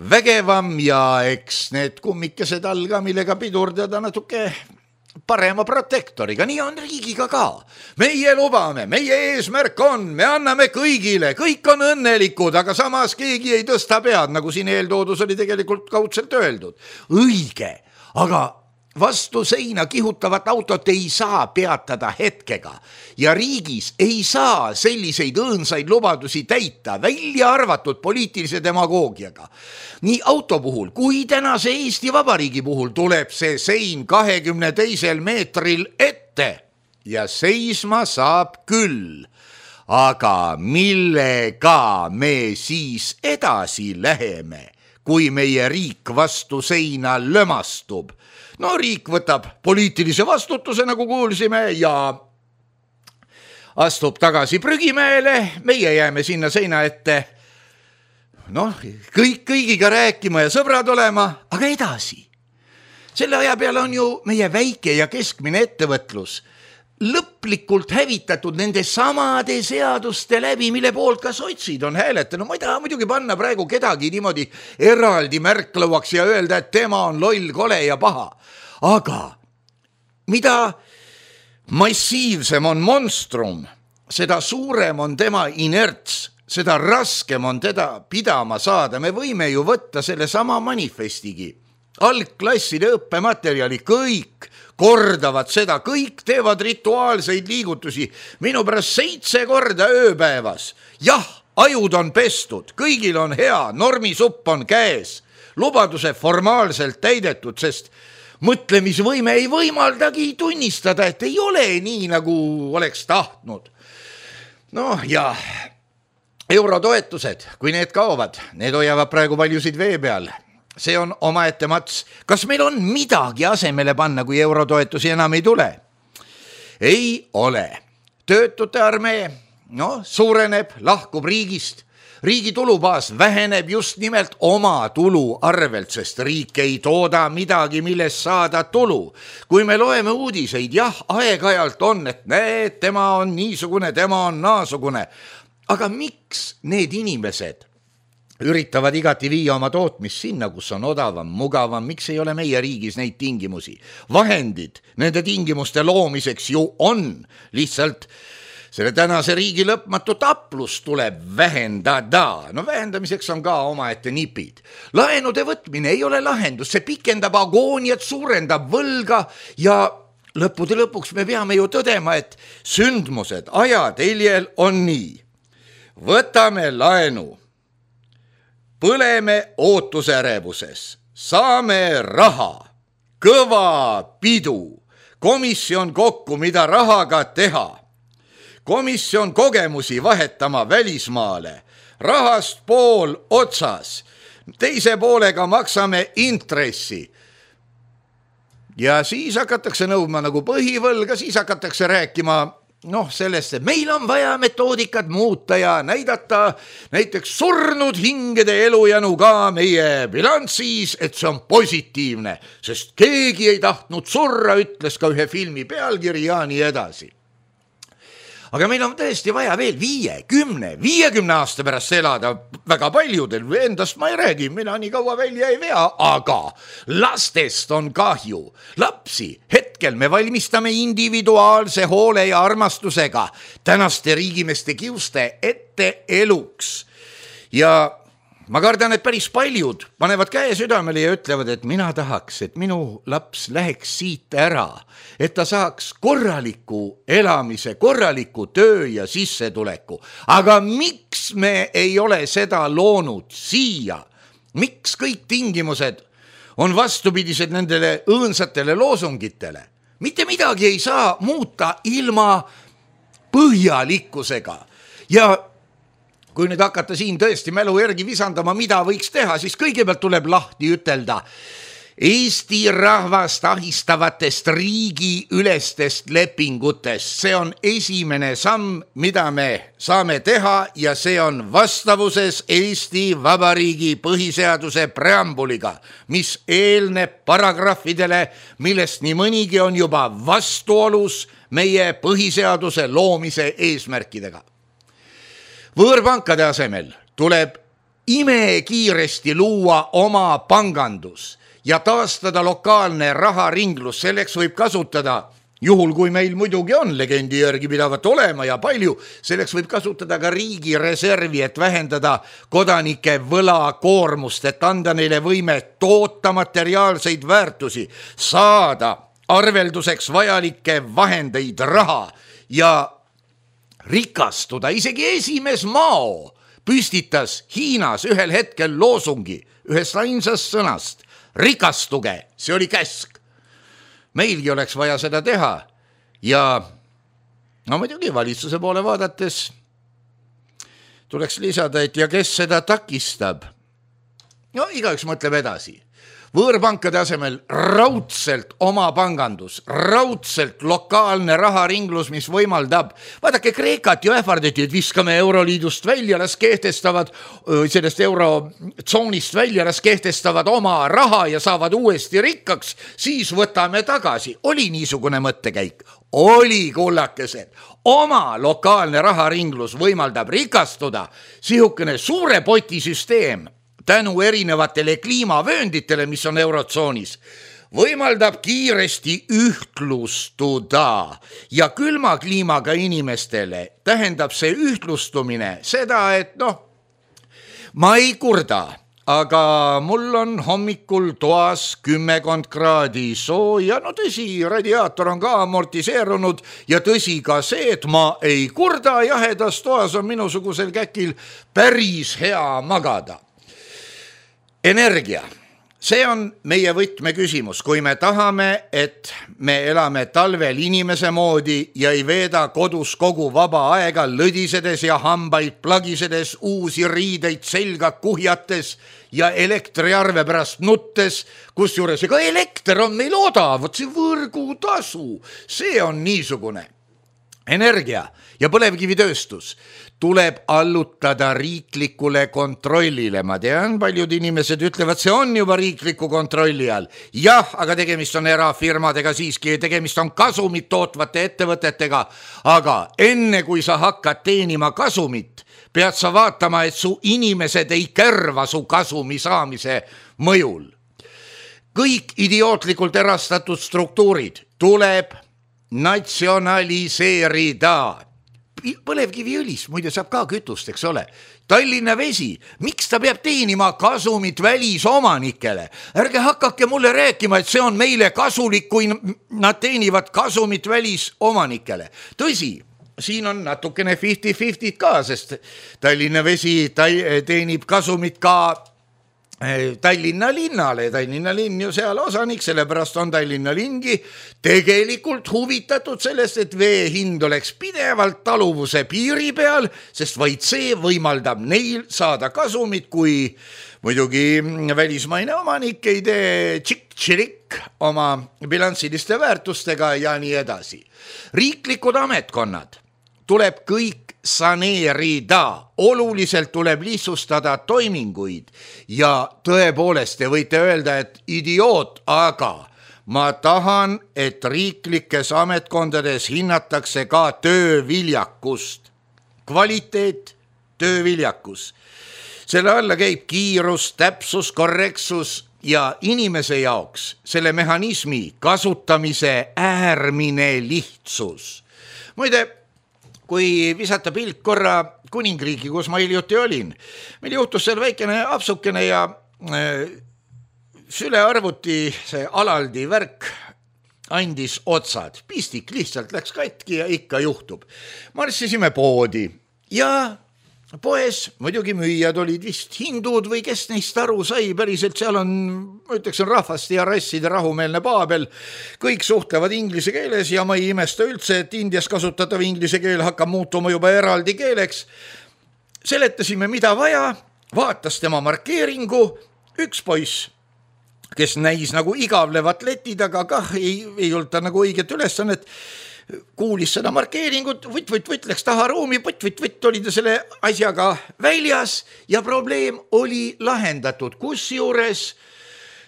vägevam ja eks need kummikesed all ka, millega pidurdada natuke parema protektoriga. Nii on riigiga ka. Meie lubame, meie eesmärk on, me anname kõigile, kõik on õnnelikud, aga samas keegi ei tõsta pead, nagu siin eeltoodus oli tegelikult kaudselt öeldud. Õige. Aga vastu seina kihutavat autot ei saa peatada hetkega ja riigis ei saa selliseid õõnsaid lubadusi täita, välja arvatud poliitilise demagoogiaga. Nii auto puhul kui tänase Eesti Vabariigi puhul tuleb see sein kahekümne teisel meetril ette ja seisma saab küll. Aga millega me siis edasi läheme? Kui meie riik vastu seina lömastub. No riik võtab poliitilise vastutuse, nagu kuulsime, ja astub tagasi prügimäele, meie jääme sinna seina ette, noh, kõik kõigiga rääkima ja sõbrad olema, aga edasi. Selle aja peale on ju meie väike ja keskmine ettevõtlus lõplikult hävitatud nende samade seaduste läbi, mille poolt ka sotsid on hääletanud. Ma ei taha muidugi panna praegu kedagi niimoodi eraldi märklauaks ja öelda, et tema on loll, kole ja paha. Aga mida massiivsem on monstrum, seda suurem on tema inerts, seda raskem on teda pidama saada. Me võime ju võtta selle sama manifestigi. Algklasside õppematerjali, kõik kordavad seda, kõik teevad rituaalseid liigutusi, minu pärast seitse korda ööpäevas. Jah, ajud on pestud, kõigil on hea, normisupp on käes, lubaduse formaalselt täidetud, sest mõtlemisvõime ei võimaldagi tunnistada, et ei ole nii, nagu oleks tahtnud. Noh, ja eurotoetused, kui need kaovad, need hoiavad praegu paljusid vee peal. See on omaette mats. Kas meil on midagi asemele panna, kui eurotoetusi enam ei tule? Ei ole. Töötute armee, no, suureneb, lahkub riigist. Riigi tulubaas väheneb just nimelt oma tulu arvelt, sest riik ei tooda midagi, millest saada tulu. Kui me loeme uudiseid, jah, aeg-ajalt on, et need, tema on niisugune, tema on naasugune. Aga miks need inimesed üritavad igati viia oma tootmist sinna, kus on odavam, mugavam, miks ei ole meie riigis neid tingimusi? Vahendid nende tingimuste loomiseks ju on, lihtsalt selle tänase riigi lõpmatu taplus tuleb vähendada. No vähendamiseks on ka omaette nipid. Laenude võtmine ei ole lahendus, see pikendab agooniat, suurendab võlga ja lõppude lõpuks me peame ju tõdema, et sündmused ajateljel on nii. Võtame laenu, põleme ootusärevuses, saame raha, kõva pidu, komisjon kokku, mida rahaga teha. Komisjon kogemusi vahetama välismaale, rahast pool otsas, teise poolega maksame intressi. Ja siis hakatakse nõudma nagu põhivõlga, siis hakatakse rääkima noh, sellest, et meil on vaja metoodikat muuta ja näidata näiteks surnud hingede elujänu ka meie bilansis, et see on positiivne, sest keegi ei tahtnud surra, ütles ka ühe filmi pealkiri ja nii edasi. Aga meil on tõesti vaja veel viie, kümne, viiekümne aasta pärast elada väga paljudel, endast ma ei räägi, mina nii kaua välja ei vea, aga lastest on kahju. Lapsi hetkel me valmistame individuaalse hoole ja armastusega tänaste riigimeste kiuste ette eluks. Ja ma kardan, et päris paljud panevad käe südamele ja ütlevad, et mina tahaks, et minu laps läheks siit ära, et ta saaks korraliku elamise, korraliku töö ja sissetuleku. Aga miks me ei ole seda loonud siia? Miks kõik tingimused on vastupidised nendele õõnsatele loosungitele? Mitte midagi ei saa muuta ilma põhjalikkusega ja kui nüüd hakata siin tõesti mälu järgi visandama, mida võiks teha, siis kõigepealt tuleb lahti ütelda Eesti rahvast ahistavatest riigi ülestest lepingutest. See on esimene samm, mida me saame teha ja see on vastavuses Eesti Vabariigi põhiseaduse preambuliga, mis eelneb paragrahvidele, millest nii mõnigi on juba vastuolus meie põhiseaduse loomise eesmärkidega. Võõrpankade asemel tuleb imekiiresti luua oma pangandus ja taastada lokaalne raharinglus. Selleks võib kasutada, juhul kui meil muidugi on legendi järgi pidavat olema ja palju, selleks võib kasutada ka riigi reservi, et vähendada kodanike võlakoormust, et anda neile võime toota materiaalseid väärtusi, saada arvelduseks vajalikke vahendeid raha ja rikastuda. Isegi esimees Mao püstitas Hiinas ühel hetkel loosungi ühest ainsast sõnast: rikastuge, see oli käsk. Meilgi oleks vaja seda teha ja no muidugi valitsuse poole vaadates tuleks lisada, et ja kes seda takistab? No igaüks mõtleb edasi. Võõrpankade asemel raudselt oma pangandus, raudselt lokaalne raharinglus, mis võimaldab, vaadake Kreekat ju ähvardati, et viskame euroliidust välja, las kehtestavad sellest eurotsoonist välja, las kehtestavad oma raha ja saavad uuesti rikkaks, siis võtame tagasi. Oli niisugune mõttekäik? Oli, kullakesed. Oma lokaalne raharinglus võimaldab rikastuda, sihukene suure poti süsteem tänu erinevatele kliimavöönditele, mis on eurotsoonis, võimaldab kiiresti ühtlustuda ja külma kliimaga inimestele tähendab see ühtlustumine seda, et noh, ma ei kurda, aga mul on hommikul toas kümmekond kraadi sooja, no tõsi, radiaator on ka amortiseerunud ja tõsi ka see, et ma ei kurda, jahedas toas on minusugusel käkil päris hea magada. Energia, see on meie võtmeküsimus, kui me tahame, et me elame talvel inimese moodi ja ei veeda kodus kogu vaba aega lõdisedes ja hambaid plagisedes, uusi riideid selga kuhjates ja elektriarve pärast nuttes, kusjuures ega elekter on meil odav, vot see võrgutasu, see on niisugune. Energia ja põlevkivitööstus tuleb allutada riiklikule kontrollile. Ma tean, paljud inimesed ütlevad, see on juba riikliku kontrolli all. Jah, aga tegemist on erafirmadega siiski, tegemist on kasumit tootvate ettevõtetega. Aga enne kui sa hakkad teenima kasumit, pead sa vaatama, et su inimesed ei kärva su kasumi saamise mõjul. Kõik idiootlikult erastatud struktuurid tuleb natsionaliseerida. Põlevkiviõlis, muide saab ka kütust, eks ole. Tallinna Vesi, miks ta peab teenima kasumit välisomanikele? Ärge hakake mulle rääkima, et see on meile kasulik, kui nad teenivad kasumit välisomanikele. Tõsi, siin on natukene viiskümmend viiskümmend ka, sest Tallinna Vesi teenib kasumit ka Tallinna linnale, Tallinna linn ju seal osanik, sellepärast on Tallinna lingi tegelikult huvitatud sellest, et vee hind oleks pidevalt taluvuse piiri peal, sest vaid see võimaldab neil saada kasumit, kui muidugi välismaine omanik ei tee tšik-tširik oma bilanssiliste väärtustega ja nii edasi. Riiklikud ametkonnad tuleb kõik saneerida, oluliselt tuleb lihtsustada toiminguid ja tõepoolest te võite öelda, et idioot, aga ma tahan, et riiklikes ametkondades hinnatakse ka tööviljakust. Kvaliteet, tööviljakus. Selle alla käib kiirus, täpsus, korrektsus ja inimese jaoks selle mehhanismi kasutamise äärmine lihtsus. Muide, kui visata pilt korra kuningriigi, kus ma hiljuti olin, meil juhtus seal väikene apsukene ja äh, sülearvuti see alaldi värk andis otsad. Pistik lihtsalt läks katki ja ikka juhtub. Marssisime poodi ja poes muidugi müüjad olid vist hindud või kes neist aru sai, päriselt seal on, ma ütleks, on rahvast ja rasside rahumeelne paabel, kõik suhtlevad inglise keeles ja ma ei imesta üldse, et Indias kasutatav inglise keel hakkab muutuma juba eraldi keeleks. Seletasime, mida vaja, vaatas tema markeeringu, üks poiss, kes näis nagu igavlevat leti taga, kah ei, ei olnud ta nagu õiget ülesannet, kuulis seda markeeringut, võtt, võtt, võtt, läks taha ruumi, võtt, võtt, võtt, oli ta selle asjaga väljas ja probleem oli lahendatud. Kusjuures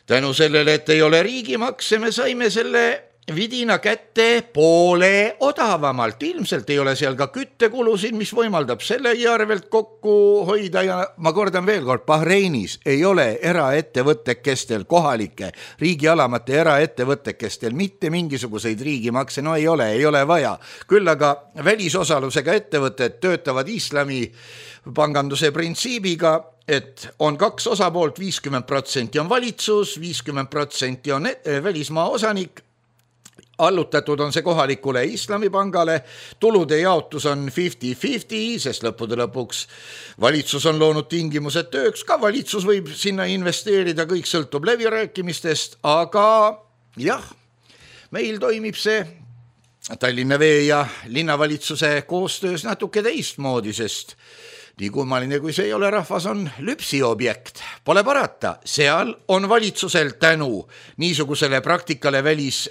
tänu sellele, et ei ole riigimakse, me saime selle vidina kätte poole odavamalt. Ilmselt ei ole seal ka küttekulusid, mis võimaldab selle järvelt kokku hoida ja ma kordan veel kord, Bahreinis ei ole eraettevõttekestel, kohalike riigialamate eraettevõttekestel mitte mingisuguseid riigimakse, no ei ole, ei ole vaja. Küll aga välisosalusega ettevõtted töötavad islami panganduse printsiibiga, et on kaks osapoolt, viiskümmend protsenti on valitsus, viiskümmend protsenti on välismaa osanik, allutatud on see kohalikule islamipangale, tulude jaotus on viiskümmend viiskümmend, sest lõppude lõpuks valitsus on loonud tingimused tööks, ka valitsus võib sinna investeerida, kõik sõltub läbirääkimistest, aga jah, meil toimib see Tallinna Vee ja linnavalitsuse koostöös natuke teistmoodi, sest nii kummaline, kui see ei ole, rahvas on lüpsiobjekt. Pole parata, seal on valitsusel tänu niisugusele praktikale välis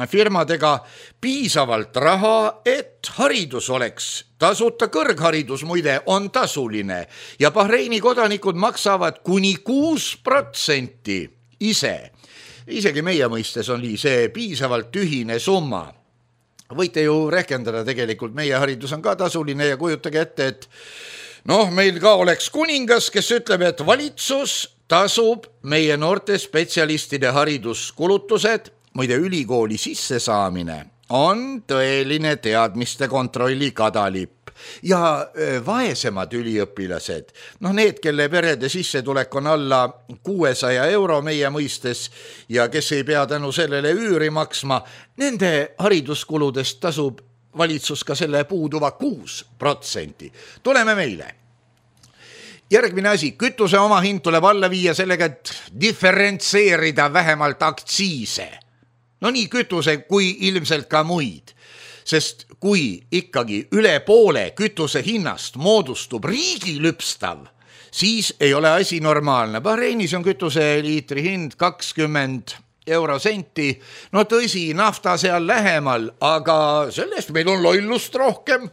firmadega piisavalt raha, et haridus oleks tasuta. Kõrgharidus muide on tasuline ja Bahreini kodanikud maksavad kuni kuus protsenti ise. Isegi meie mõistes on see piisavalt tühine summa. Võite ju rehkendada, tegelikult meie haridus on ka tasuline ja kujutage ette, et noh, meil ka oleks kuningas, kes ütleb, et valitsus tasub meie noorte spetsialistide hariduskulutused. Muide, ülikooli sissesaamine on tõeline teadmiste kontrolli kadalipp ja vaesemad üliõpilased, noh need, kelle perede sissetulek on alla kuuesaja euro meie mõistes ja kes ei pea tänu sellele üüri maksma, nende hariduskuludest tasub valitsus ka selle puuduva kuus protsenti. Tuleme meile. Järgmine asi, kütuse oma hind tuleb alla viia sellega, et diferentseerida vähemalt aktsiise. No nii kütuse kui ilmselt ka muid. Sest kui ikkagi üle poole kütuse hinnast moodustub riigi lüpstav, siis ei ole asi normaalne. Bahreinis on kütuse liitri hind kakskümmend eurosenti. No tõsi, nafta seal lähemal, aga sellest meil on lollust rohkem.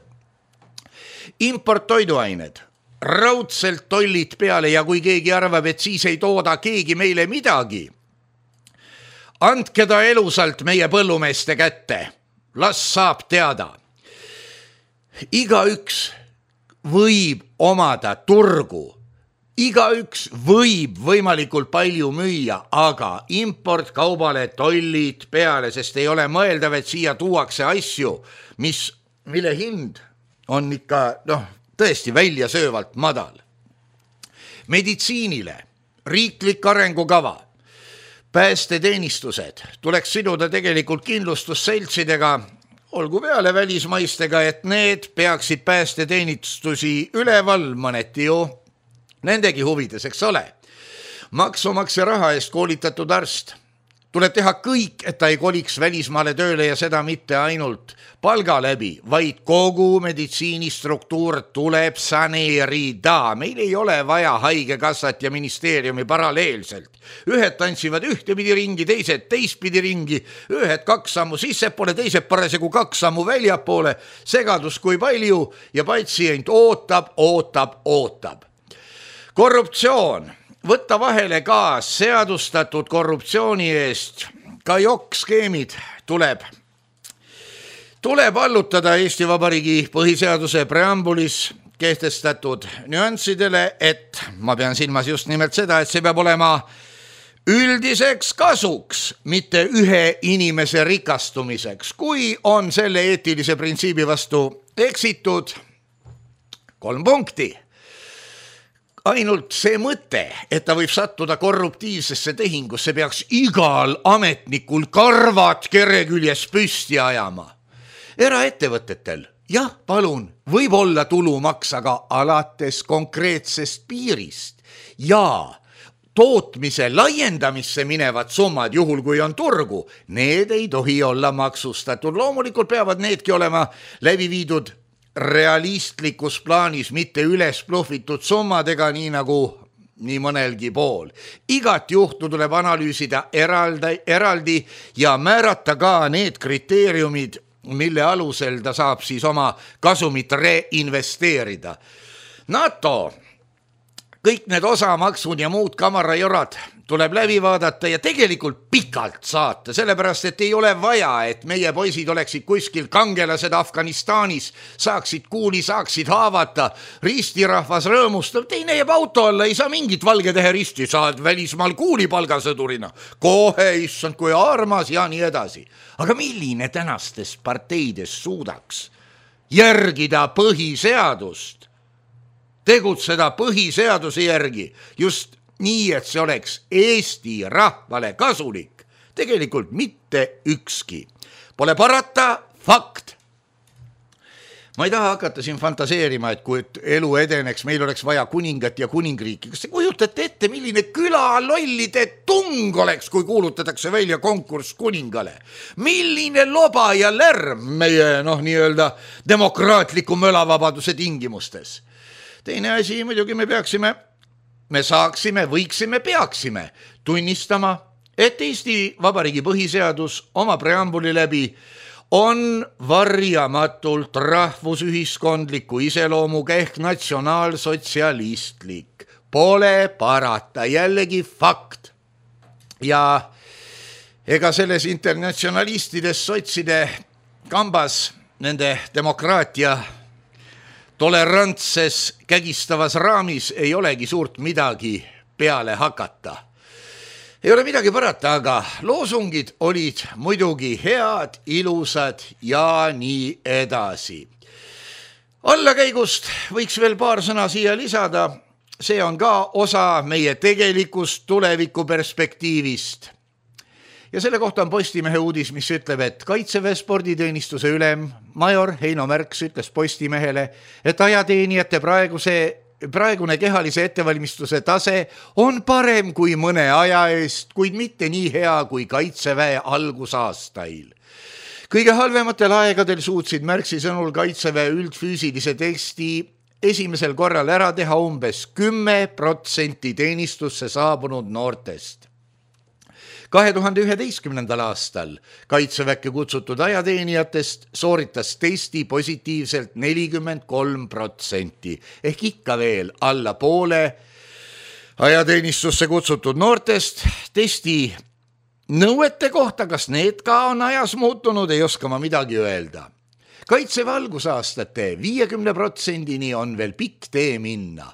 Import toiduained, raudselt tollid peale ja kui keegi arvab, et siis ei tooda keegi meile midagi, andke ta elusalt meie põllumeeste kätte. Las saab teada. Igaüks võib omada turgu. Igaüks võib võimalikult palju müüa, aga import kaubale tollid peale, sest ei ole mõeldav, et siia tuuakse asju, mis, mille hind on ikka noh, tõesti välja söövalt madal. Meditsiinile riiklik arengukava. Päästeteenistused tuleks siduda tegelikult kindlustusseltsidega, olgu peale välismaistega, et need peaksid päästeteenistusi üleval mõneti ju nendegi huvides, eks ole. Maksumaksja raha eest koolitatud arst. Tuleb teha kõik, et ta ei koliks välismaale tööle ja seda mitte ainult palga läbi, vaid kogu meditsiinistruktuur tuleb saneerida. Meil ei ole vaja haigekassat ja ministeeriumi paralleelselt. Ühed tantsivad ühtepidi ringi, teised teistpidi ringi, ühed kaks sammu sissepoole, teised parasjagu kaks sammu väljapoole, segadus kui palju ja patsient ootab, ootab, ootab. Korruptsioon. Võtta vahele ka seadustatud korruptsiooni eest. Ka jokk-skeemid tuleb. Tuleb allutada Eesti Vabariigi põhiseaduse preambulis kehtestatud nüanssidele, et ma pean silmas just nimelt seda, et see peab olema üldiseks kasuks, mitte ühe inimese rikastumiseks. Kui on selle eetilise printsiibi vastu eksitud, kolm punkti. Ainult see mõte, et ta võib sattuda korruptiivsesse tehingusse, peaks igal ametnikul karvad kere küljes püsti ajama. Eraettevõtetel, jah, palun, võib olla tulumaks, aga alates konkreetsest piirist ja tootmise laiendamisse minevad summad, juhul kui on turgu, need ei tohi olla maksustatud. Loomulikult peavad needki olema läbi viidud realistlikus plaanis, mitte üles pluffitud summadega, nii nagu nii mõnelgi pool. Igat juhtu tuleb analüüsida eraldi, eraldi ja määrata ka need kriteeriumid, mille alusel ta saab siis oma kasumit reinvesteerida. NATO, kõik need osamaksud ja muud kamarajorad tuleb läbi vaadata ja tegelikult pikalt saata, sellepärast, et ei ole vaja, et meie poisid oleksid kuskil kangelased Afganistanis, saaksid kuuli, saaksid haavata, ristirahvas rõõmustab, teine jääb auto alla, ei saa mingit valgetähe risti, saad välismaal kuuli palgasõdurina, kohe, issand, kui armas ja nii edasi. Aga milline tänastes parteides suudaks järgida põhiseadust, tegutseda põhiseaduse järgi, just nii, et see oleks Eesti rahvale kasulik, tegelikult mitte ükski. Pole parata, fakt. Ma ei taha hakata siin fantaseerima, et kui elu edeneks, meil oleks vaja kuningat ja kuningriiki. Kas te kujutate ette, milline küla lollide tung oleks, kui kuulutatakse välja konkurss kuningale? Milline loba ja lärm meie, noh, nii-öelda demokraatliku mölavabaduse tingimustes? Teine asi, muidugi me peaksime Me saaksime, võiksime, peaksime tunnistama, et Eesti Vabariigi põhiseadus oma preambuli läbi on varjamatult rahvusühiskondliku iseloomuga ehk natsionaalsotsialistlik. Pole parata, jällegi fakt. Ja ega selles internatsionalistides sotside kambas nende demokraatia tolerantses kägistavas raamis ei olegi suurt midagi peale hakata. Ei ole midagi parata, aga loosungid olid muidugi head, ilusad ja nii edasi. Allakäigust võiks veel paar sõna siia lisada. See on ka osa meie tegelikust tuleviku perspektiivist. Ja selle kohta on Postimehe uudis, mis ütleb, et Kaitseväe sporditeenistuse ülem major Heino Märks ütles Postimehele, et ajateenijate praeguse praegune kehalise ettevalmistuse tase on parem kui mõne aja eest, kuid mitte nii hea kui Kaitseväe algusaastail. Kõige halvematel aegadel suutsid Märksi sõnul Kaitseväe üldfüüsilise testi esimesel korral ära teha umbes kümme protsenti teenistusse saabunud noortest. kahe tuhande üheteistkümnendal aastal Kaitseväkke kutsutud ajateenijatest sooritas testi positiivselt nelikümmend kolm protsenti ehk ikka veel alla poole ajateenistusse kutsutud noortest. Testi nõuete kohta, kas need ka on ajas muutunud, ei oska ma midagi öelda. Kaitseväe algusaastate viiekümne protsendini on veel pikk tee minna.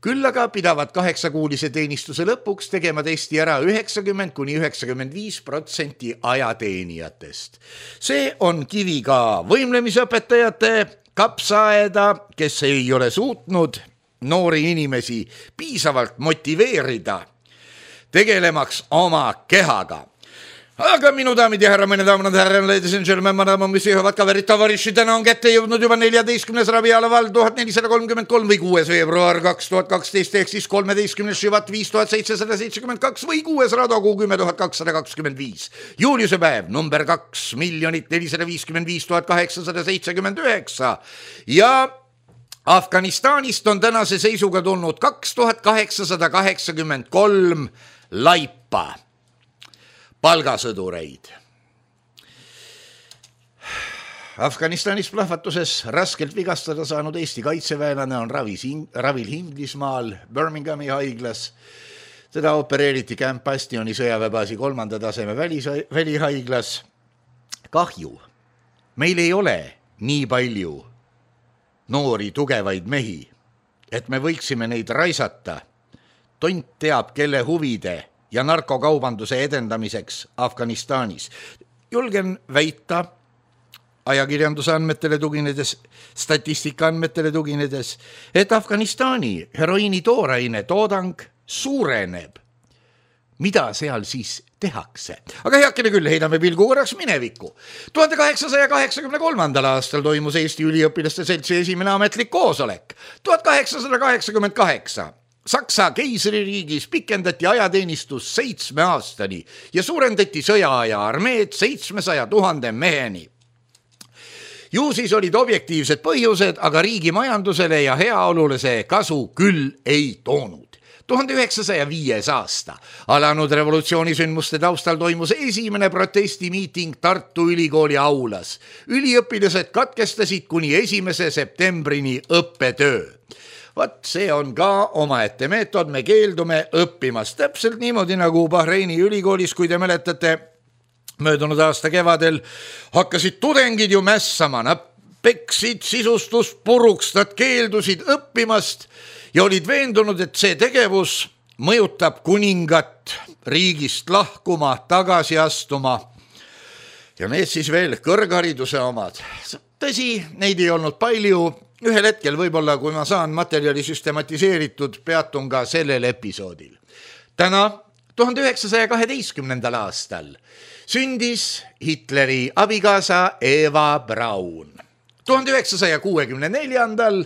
Küll aga pidavad kaheksakuulise teenistuse lõpuks tegema testi ära üheksakümmend kuni üheksakümmend viis protsenti ajateenijatest. See on kivi ka võimlemisõpetajate kapsaaeda, kes ei ole suutnud noori inimesi piisavalt motiveerida tegelemaks oma kehaga. Aga minu daamid ja härra, mõne daamad ja härra, ladies and gentlemen, madam, mis jõuavad kaverid tavariši, täna on kätte jõudnud juba neljateistkümnes Rabiala vald tuhat nelisada kolmkümmend kolm või kuues veebruar kaks tuhat kaksteist ehk siis kolmeteistkümnes Šivat viis tuhat seitsesada seitsekümmend kaks või kuues Radokuu kümme tuhat kakssada kakskümmend viis. Juuliuse päev number kaks miljonit nelisada viiskümmend viis tuhat kaheksasada seitsekümmend üheksa ja Afganistanist on tänase seisuga tulnud kaks tuhat kaheksasada kaheksakümmend kolm laipa palgasõdureid. Afganistanis plahvatuses raskelt vigastada saanud Eesti kaitseväelane on ravis, ravil Inglismaal Birminghami haiglas. Teda opereeriti Camp Bastioni sõjaväebaasi kolmanda taseme välis, välihaiglas. Kahju, meil ei ole nii palju noori tugevaid mehi, et me võiksime neid raisata. Tont teab, kelle huvide ja narkokaubanduse edendamiseks Afganistanis. Julgen väita ajakirjanduse andmetele tuginedes, statistika andmetele tuginedes, et Afganistani heroiini tooraine toodang suureneb. Mida seal siis tehakse? Aga heakene küll, heidame pilgu korraks minevikku. tuhande kaheksasaja kaheksakümne kolmandal aastal toimus Eesti üliõpilaste seltsi esimene ametlik koosolek. tuhat kaheksasada kaheksakümmend kaheksa Saksa keisririigis pikendati ajateenistus seitsme aastani ja suurendati sõjaaja armeed seitsmesaja tuhande meheni. Ju siis olid objektiivsed põhjused, aga riigi majandusele ja heaolule see kasu küll ei toonud. tuhande üheksasaja viies aasta alanud revolutsioonisündmuste taustal toimus esimene protestimiiting Tartu Ülikooli aulas. Üliõpilased katkestasid kuni esimese septembrini õppetöö. Vat see on ka omaette meetod, me keeldume õppimast. Täpselt niimoodi nagu Bahreini ülikoolis, kui te mäletate, möödunud aasta kevadel hakkasid tudengid ju mässama, nad peksid sisustust puruks, nad keeldusid õppimast ja olid veendunud, et see tegevus mõjutab kuningat riigist lahkuma, tagasi astuma. Ja need siis veel kõrghariduse omad. Tõsi, neid ei olnud palju. Ühel hetkel võib-olla, kui ma saan materjali süstematiseeritud, peatun ka sellel episoodil. Täna, tuhande üheksasaja kaheteistkümnendal aastal, sündis Hitleri abikaasa Eva Braun. tuhande üheksasaja kuuekümne neljandal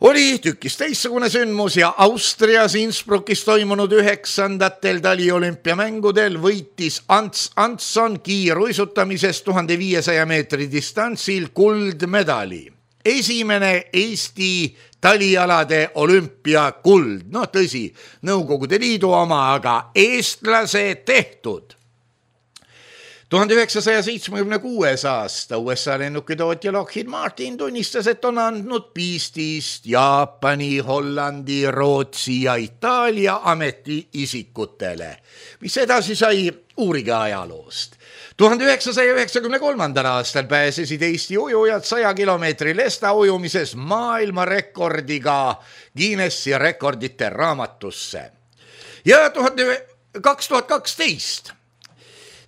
oli tükis teistsugune sündmus ja Austrias Innsbruckis toimunud üheksandatel taliolümpiamängudel võitis Ants Antson kiiruisutamisest tuhande viiesaja meetri distantsil kuldmedali. Esimene Eesti talialade olümpiakuld, no tõsi, Nõukogude Liidu oma, aga eestlase tehtud. tuhande üheksasaja seitsmekümne kuues aasta U S A lennukitootja Lockheed Martin tunnistas, et on andnud piistist Jaapani, Hollandi, Rootsi ja Itaalia ametiisikutele, mis edasi sai uurige ajaloost. tuhande üheksasaja üheksakümne kolmandal aastal pääsesid Eesti ujujad saja kilomeetri lesta ujumises maailmarekordiga Guinessi rekordite raamatusse. Ja kaks tuhat kaksteist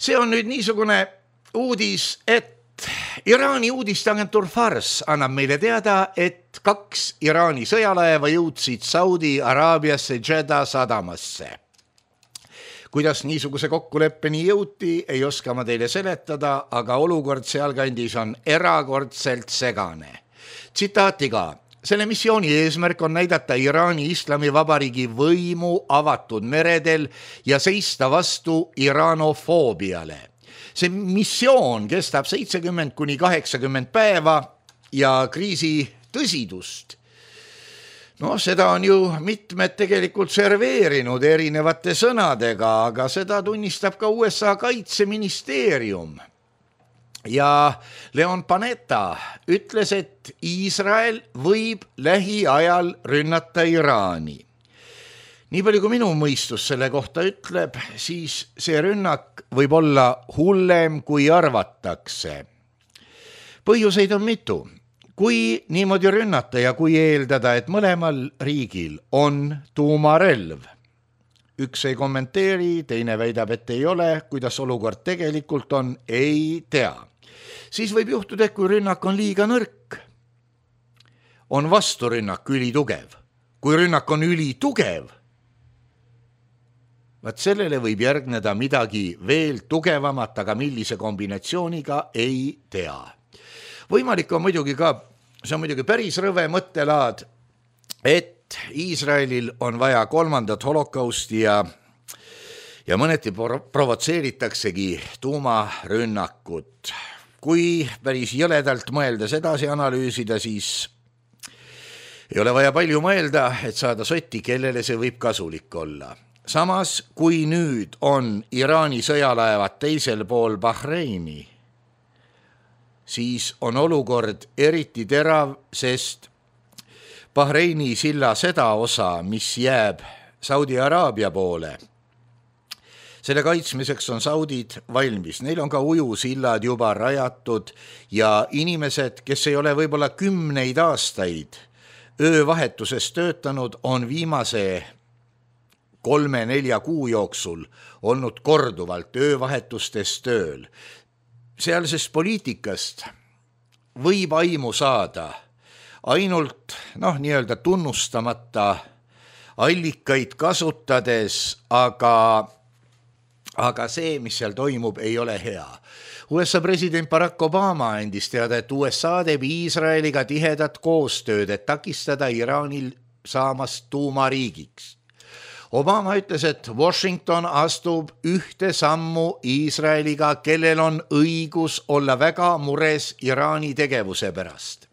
see on nüüd niisugune uudis, et Iraani uudisteagentuur Fars annab meile teada, et kaks Iraani sõjalaeva jõudsid Saudi Araabiasse Jeddah sadamasse. Kuidas niisuguse kokkuleppeni jõuti, ei oska ma teile seletada, aga olukord sealkandis on erakordselt segane. Tsitaatiga, Selle missiooni eesmärk on näidata Iraani Islamivabariigi võimu avatud meredel ja seista vastu iranofoobiale. See missioon kestab seitsekümmend kuni kaheksakümmend päeva ja kriisi tõsidust. No seda on ju mitmed tegelikult serveerinud erinevate sõnadega, aga seda tunnistab ka U S A kaitseministeerium. Ja Leon Panetta ütles, et Iisrael võib lähiajal rünnata Iraani. Nii palju kui minu mõistus selle kohta ütleb, siis see rünnak võib olla hullem kui arvatakse. Põhjuseid on mitu. Kui niimoodi rünnata ja kui eeldada, et mõlemal riigil on tuumarelv, üks ei kommenteeri, teine väidab, et ei ole, kuidas olukord tegelikult on, ei tea. Siis võib juhtuda, et kui rünnak on liiga nõrk, on vasturünnak ülitugev. Kui rünnak on ülitugev, vaat sellele võib järgneda midagi veel tugevamat, aga millise kombinatsiooniga ei tea. Võimalik on muidugi ka, see on muidugi päris rõve mõttelaad, et Iisraelil on vaja kolmandat holokausti ja, ja mõneti provotseeritaksegi tuumarünnakut. Kui päris jõledalt mõeldes edasi analüüsida, siis ei ole vaja palju mõelda, et saada sotti, kellele see võib kasulik olla. Samas, kui nüüd on Iraani sõjalaevad teisel pool Bahreini, siis on olukord eriti terav, sest Bahreini silla seda osa, mis jääb Saudi Araabia poole, selle kaitsmiseks on saudid valmis. Neil on ka ujusillad juba rajatud ja inimesed, kes ei ole võib-olla kümneid aastaid öövahetuses töötanud, on viimase kolme-nelja kuu jooksul olnud korduvalt öövahetustes tööl. Sealsest poliitikast võib aimu saada ainult noh, nii-öelda tunnustamata allikaid kasutades, aga aga see, mis seal toimub, ei ole hea. U S A president Barack Obama andis teada, et U S A teeb Iisraeliga tihedat koostööd, et takistada Iraanil saamast tuumariigiks. Obama ütles, et Washington astub ühte sammu Iisraeliga, kellel on õigus olla väga mures Iraani tegevuse pärast.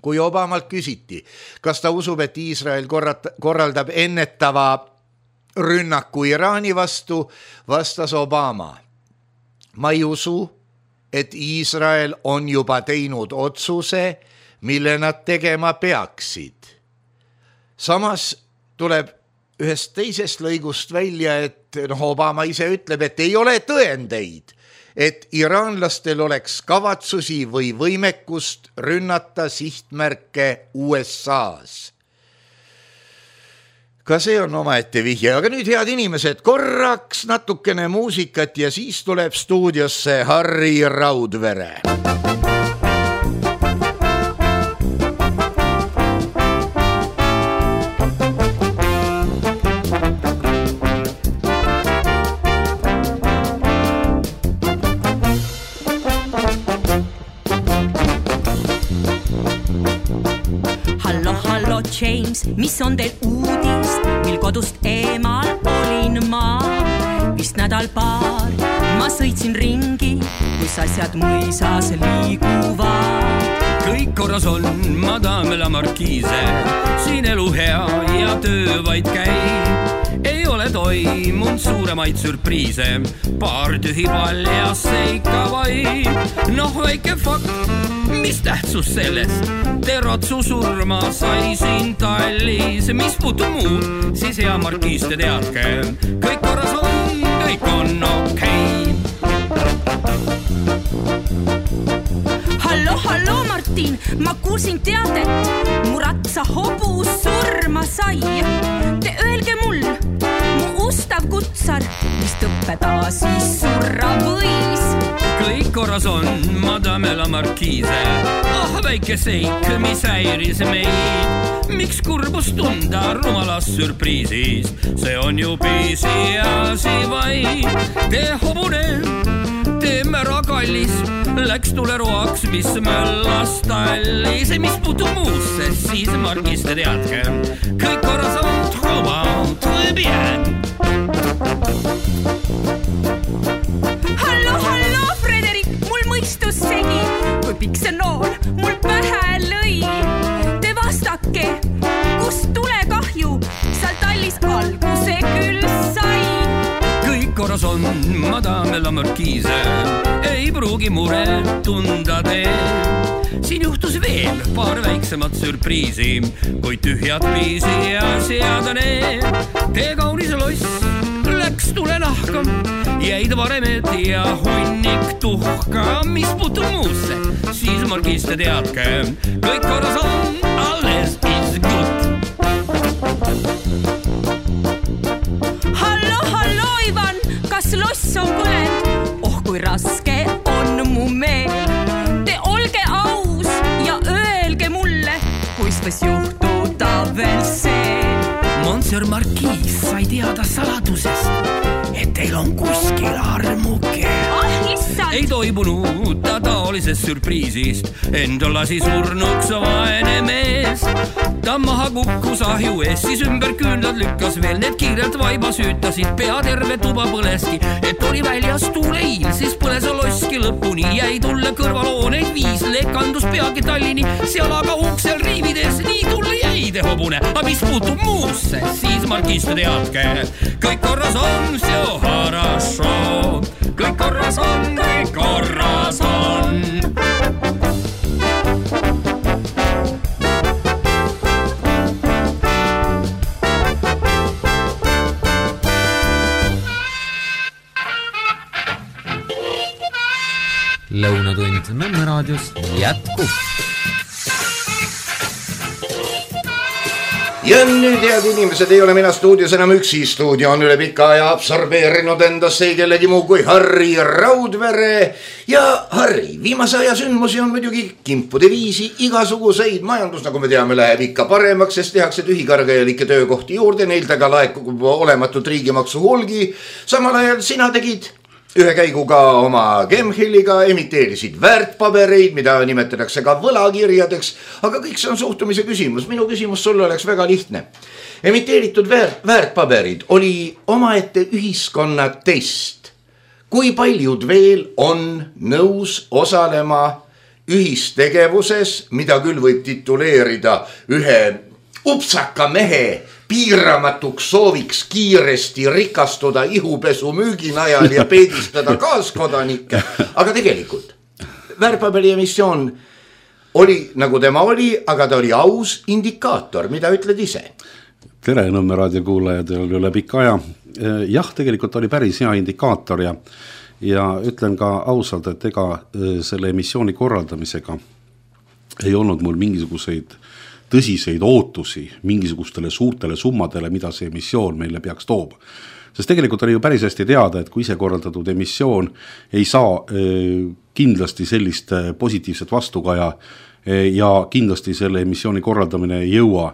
Kui Obamalt küsiti, kas ta usub, et Iisrael korraldab ennetava rünnaku Iraani vastu, vastas Obama. Ma ei usu, et Iisrael on juba teinud otsuse, mille nad tegema peaksid. Samas tuleb ühest teisest lõigust välja, et no, Obama ise ütleb, et ei ole tõendeid, et iraanlastel oleks kavatsusi või võimekust rünnata sihtmärke U S A-s. Ka see on omaette vihje, aga nüüd head inimesed, korraks natukene muusikat ja siis tuleb stuudiosse Harri Raudvere.
Hallo, hallo James, mis on teil uudis, mil kodust eemal olin ma? Vist nädal paar, ma sõitsin ringi, kus asjad mõisas liiguvad.
Kõik korras on, madame la markiise, siin elu hea ja töö vaid käib. Ei ole toimunud suuremaid sürpriise, paar tühi paljas seika vaid. Noh, väike fakt, mis tähtsus sellest? Terotsu surma sai siin Tallis, mis puutub muud, siis hea markiis te teadke. Kõik korras on, kõik on okei.
Hallo, hallo Martin, ma kuulsin teadet, mu ratsa hobus surma sai. Te öelge mul, mu ustav kutsar, mis tõppeda siis surra võis.
Kõik korras on, madame la markiise. Ah, väike seik, mis häiris meid. Miks kurbus tunda rumalas sürpriisis? See on ju pisiasi vaid. Te hobune, teeme ragallis, läks tuleroaks, mis möllas tallis. Mis puutub muusse, siis Margis te teadke, kõik korras on, trop, très bien.
Hallo, hallo, Frederik, mul mõistus segi, kui pikk see nool mul pähe lõi. Te vastake, kus tulekahju seal tallis alguse küll sai.
Kõik korras on, madame la markiise, ei pruugi muret tunda tee. Siin juhtus veel paar väiksemat sürpriisi, kui tühjad piisi ja seada need. Tee kaunis loss läks tule nahka, jäid varemed ja hunnik tuhka. Mis puutub muusse, siis Margis te teadke, kõik korras on, alles is good.
Hallo, hallo, Ivan, kas loss on põlend? Oh, kui raske on mu meel. Te olge aus ja öelge mulle, kuis võis juhtuda veel see.
Monsieur Marquis sai teada saladusest, et teil on kuskil armuke.
Ah, issand!
Ei toibunud ta taolisest sürpriisist, enda lasi surnuks vaene mees. Ta maha kukkus ahju ees, siis ümber küünlad lükkas veel, need kiirelt vaiba süütasid, pea terve tuba põleski, et oli väljas tuuleiil, siis põles loski lõpuni, jäi tulle kõrvalooneid viis, lekandus peagi Tallini, seal aga uksel riivides, nii tulle jäi te hobune, aga mis puutub muusse, siis Margis te teadke, kõik korras on, see хорошо, kõik korras on, kõik korras on.
Lõunatund Nõmme raadios jätkub.
Ja nüüd, head inimesed, ei ole mina stuudios enam üksi. Stuudio on üle pika aja absorbeerinud endasse ei kellegi muu kui Harri Raudvere. Ja Harri, viimase aja sündmusi on muidugi kimpude viisi, igasuguseid. Majandus, nagu me teame, läheb ikka paremaks, sest tehakse tühikargajalikke töökohti juurde, neilt aga laekub olematut riigimaksu hulgi. Samal ajal sina tegid ühe käiguga oma Gemhilliga, emiteerisid väärtpabereid, mida nimetatakse ka võlakirjadeks, aga kõik see on suhtumise küsimus. Minu küsimus sulle oleks väga lihtne. Emiteeritud väärt, väärtpaberid oli omaette ühiskonna test. Kui paljud veel on nõus osalema ühistegevuses, mida küll võib tituleerida ühe upsaka mehe piiramatuks sooviks kiiresti rikastuda ihupesu müüginajal ja peedistada kaaskodanikke. Aga tegelikult väärtpaberi emissioon oli, nagu tema oli, aga ta oli aus indikaator. Mida ütled ise?
Tere, Nõmme raadiokuulajad üle pika aja. Jah, tegelikult oli päris hea indikaator ja, ja ütlen ka ausalt, et ega selle emissiooni korraldamisega ei olnud mul mingisuguseid tõsiseid ootusi mingisugustele suurtele summadele, mida see emissioon meile peaks toob. Sest tegelikult oli ju päris hästi teada, et kui ise korraldatud emissioon ei saa kindlasti sellist positiivset vastukaja ja kindlasti selle emissiooni korraldamine ei jõua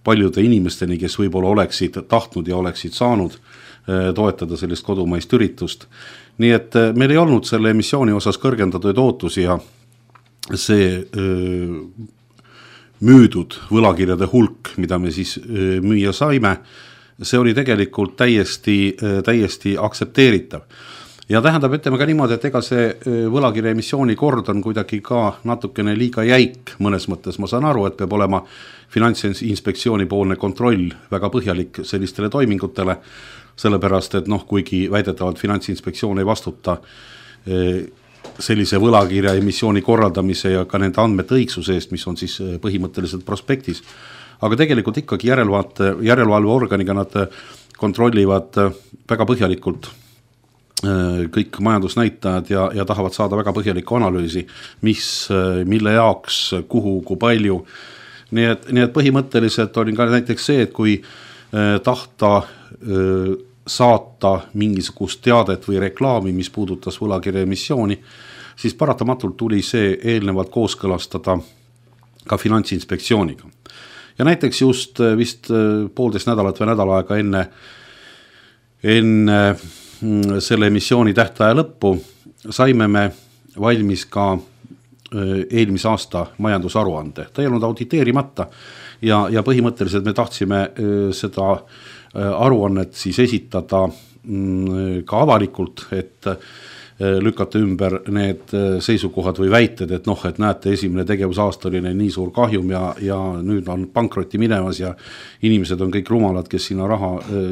paljude inimesteni, kes võib-olla oleksid tahtnud ja oleksid saanud toetada sellist kodumaist üritust. Nii et meil ei olnud selle emissiooni osas kõrgendatud ootusi ja see müüdud võlakirjade hulk, mida me siis müüa saime, see oli tegelikult täiesti, täiesti aktsepteeritav. Ja tähendab, ütleme ka niimoodi, et ega see võlakirja emissiooni kord on kuidagi ka natukene liiga jäik mõnes mõttes. Ma saan aru, et peab olema Finantsinspektsiooni poolne kontroll väga põhjalik sellistele toimingutele, sellepärast, et noh, kuigi väidetavalt Finantsinspektsioon ei vastuta sellise võlakirja emissiooni korraldamise ja ka nende andmete õigsuse eest, mis on siis põhimõtteliselt prospektis. Aga tegelikult ikkagi järelevalve, järelevalveorganiga nad kontrollivad väga põhjalikult kõik majandusnäitajad ja, ja tahavad saada väga põhjalikku analüüsi, mis, mille jaoks, kuhu, kui palju. Nii et, nii et põhimõtteliselt oli ka näiteks see, et kui tahta saata mingisugust teadet või reklaami, mis puudutas võlakirja emissiooni, siis paratamatult tuli see eelnevalt kooskõlastada ka Finantsinspektsiooniga. Ja näiteks just vist poolteist nädalat või nädal aega enne, enne selle emissiooni tähtaja lõppu saime me valmis ka eelmise aasta majandusaruande. Ta ei olnud auditeerimata ja, ja põhimõtteliselt me tahtsime seda aruannet siis esitada ka avalikult, et lükata ümber need seisukohad või väited, et noh, et näete, esimene tegevusaasta oli nii suur kahjum ja, ja nüüd on pankrotti minemas ja inimesed on kõik rumalad, kes sinna raha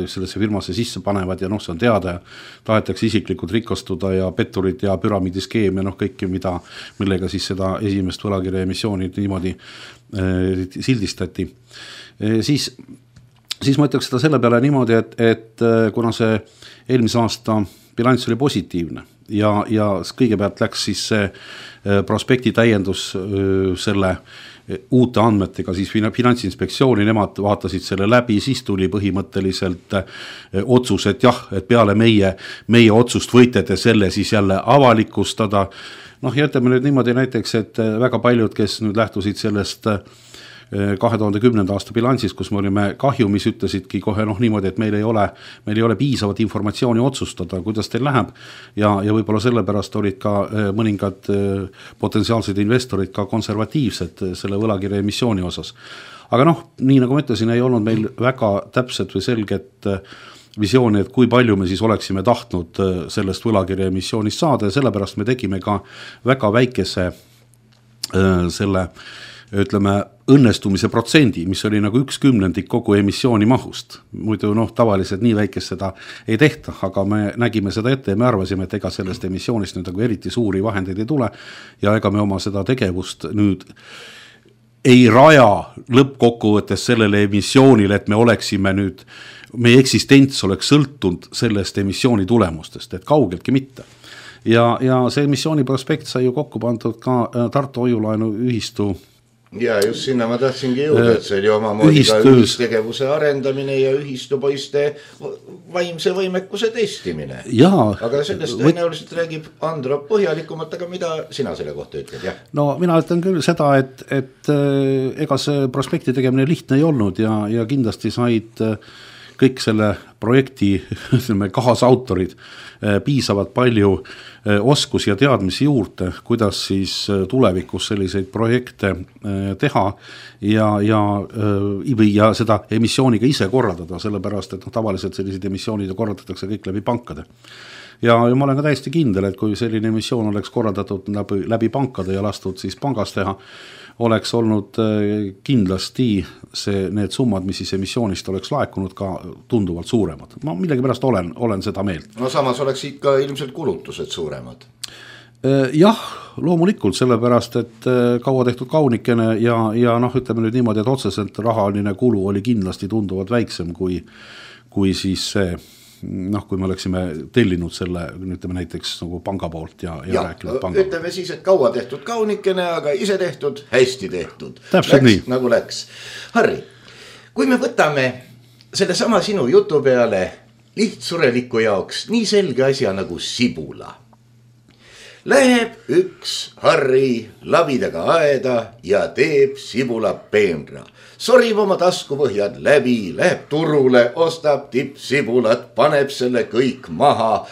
sellesse firmasse sisse panevad ja noh, see on teada ja tahetakse isiklikult rikastuda ja petturid ja püramiidiskeem ja noh, kõike, mida, millega siis seda esimest võlakirja emissiooni niimoodi eh, sildistati. Eh, siis, siis ma ütleks seda selle peale niimoodi, et, et kuna see eelmise aasta bilanss oli positiivne, ja, ja kõigepealt läks siis see prospekti täiendus selle uute andmetega siis Finantsinspektsiooni, nemad vaatasid selle läbi, siis tuli põhimõtteliselt otsus, et jah, et peale meie, meie otsust võite te selle siis jälle avalikustada. Noh, ja ütleme nüüd niimoodi näiteks, et väga paljud, kes nüüd lähtusid sellest kahe tuhande kümnenda aasta bilansis, kus me olime kahjumis, ütlesidki kohe noh niimoodi, et meil ei ole, meil ei ole piisavat informatsiooni otsustada, kuidas teil läheb ja, ja võib-olla sellepärast olid ka mõningad potentsiaalsed investorid ka konservatiivsed selle võlakirja emissiooni osas. Aga noh, nii nagu ma ütlesin, ei olnud meil väga täpset või selget visiooni, et kui palju me siis oleksime tahtnud sellest võlakirja emissioonist saada ja sellepärast me tegime ka väga väikese selle ütleme, õnnestumise protsendi, mis oli nagu üks kümnendik kogu emissiooni mahust. Muidu noh, tavaliselt nii väikest seda ei tehta, aga me nägime seda ette ja me arvasime, et ega sellest emissioonist nüüd nagu eriti suuri vahendeid ei tule ja ega me oma seda tegevust nüüd ei raja lõppkokkuvõttes sellele emissioonile, et me oleksime nüüd, meie eksistents oleks sõltunud sellest emissiooni tulemustest, et kaugeltki mitte. Ja, ja see emissiooni prospekt sai ju kokku pandud ka Tartu hoiulaenu ühistu
ja just sinna ma tahtsingi jõuda, et see oli omamoodi ka ühistegevuse arendamine ja ühistupoiste vaimse võimekuse testimine.
Jaa,
aga sellest võt... tõenäoliselt räägib Andro põhjalikumalt, aga mida sina selle kohta ütled? Jah?
No mina ütlen küll seda, et, et ega see prospekti tegemine lihtne ei olnud ja, ja kindlasti said kõik selle projekti kaasautorid piisavalt palju oskusi ja teadmisi juurde, kuidas siis tulevikus selliseid projekte teha ja, ja, ja seda emissiooniga ise korraldada, sellepärast, et no, tavaliselt sellised emissioonid korraldatakse kõik läbi pankade. Ja, ja ma olen ka täiesti kindel, et kui selline emissioon oleks korraldatud läbi, läbi pankade ja lastud siis pangas teha, oleks olnud kindlasti see, need summad, mis siis emissioonist oleks laekunud ka tunduvalt suuremad. Ma millegi pärast olen, olen seda meelt.
No samas oleks ikka ilmselt kulutused suuremad.
Jah, loomulikult, sellepärast, et kaua tehtud kaunikene ja, ja noh, ütleme nüüd niimoodi, et otseselt rahaline kulu oli kindlasti tunduvalt väiksem kui, kui siis see noh, kui me oleksime tellinud selle, ütleme näiteks nagu panga poolt ja, ja, ja rääkinud panga.
Ütleme siis, et kaua tehtud kaunikene, aga ise tehtud, hästi tehtud.
Täpselt
läks,
nii.
Nagu läks. Harri, kui me võtame selle sama sinu jutu peale lihtsureliku jaoks nii selge asja nagu sibula. Läheb üks Harri labidaga aeda ja teeb sibula peenra. Sorib oma taskupõhjad läbi, läheb turule, ostab tippsibulat, paneb selle kõik maha,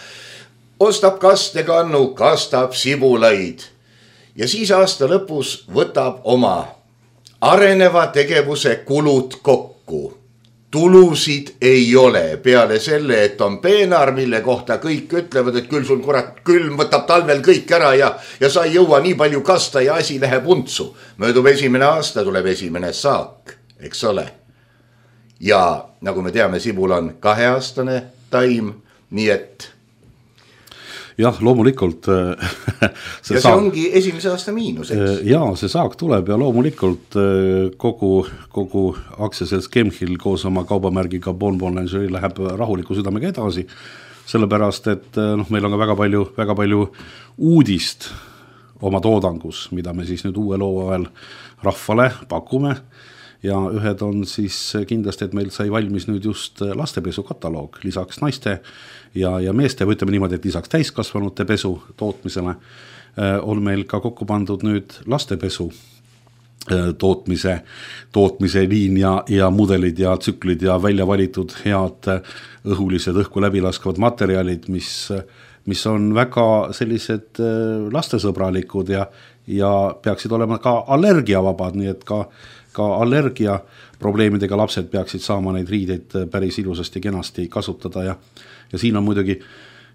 ostab kastekannu, kastab sibulaid ja siis aasta lõpus võtab oma areneva tegevuse kulud kokku. Tulusid ei ole peale selle, et on peenar, mille kohta kõik ütlevad, et küll sul kurat külm võtab talvel kõik ära ja, ja sa ei jõua nii palju kasta ja asi läheb untsu. Möödub esimene aasta, tuleb esimene saak, eks ole. Ja nagu me teame, sibul on kaheaastane taim, nii et
jah, loomulikult
see ja see saak, ongi esimese aasta miinus, eks?
Jaa, see saak tuleb ja loomulikult kogu, kogu aktsiaselts Chemhil koos oma kaubamärgiga Bon Bon Lingerie läheb rahuliku südamega edasi, sellepärast, et noh, meil on ka väga palju, väga palju uudist oma toodangus, mida me siis nüüd uue loo ajal rahvale pakume. Ja ühed on siis kindlasti, et meil sai valmis nüüd just lastepesu kataloog, lisaks naiste ja, ja meeste, või ütleme niimoodi, et lisaks täiskasvanute pesu tootmisele on meil ka kokku pandud nüüd lastepesu tootmise, tootmise liin ja, ja mudelid ja tsüklid ja välja valitud head õhulised õhku läbilaskavad materjalid, mis mis on väga sellised lastesõbralikud ja, ja peaksid olema ka allergiavabad, nii et ka, ka allergia probleemidega lapsed peaksid saama neid riideid päris ilusasti kenasti kasutada ja, ja siin on muidugi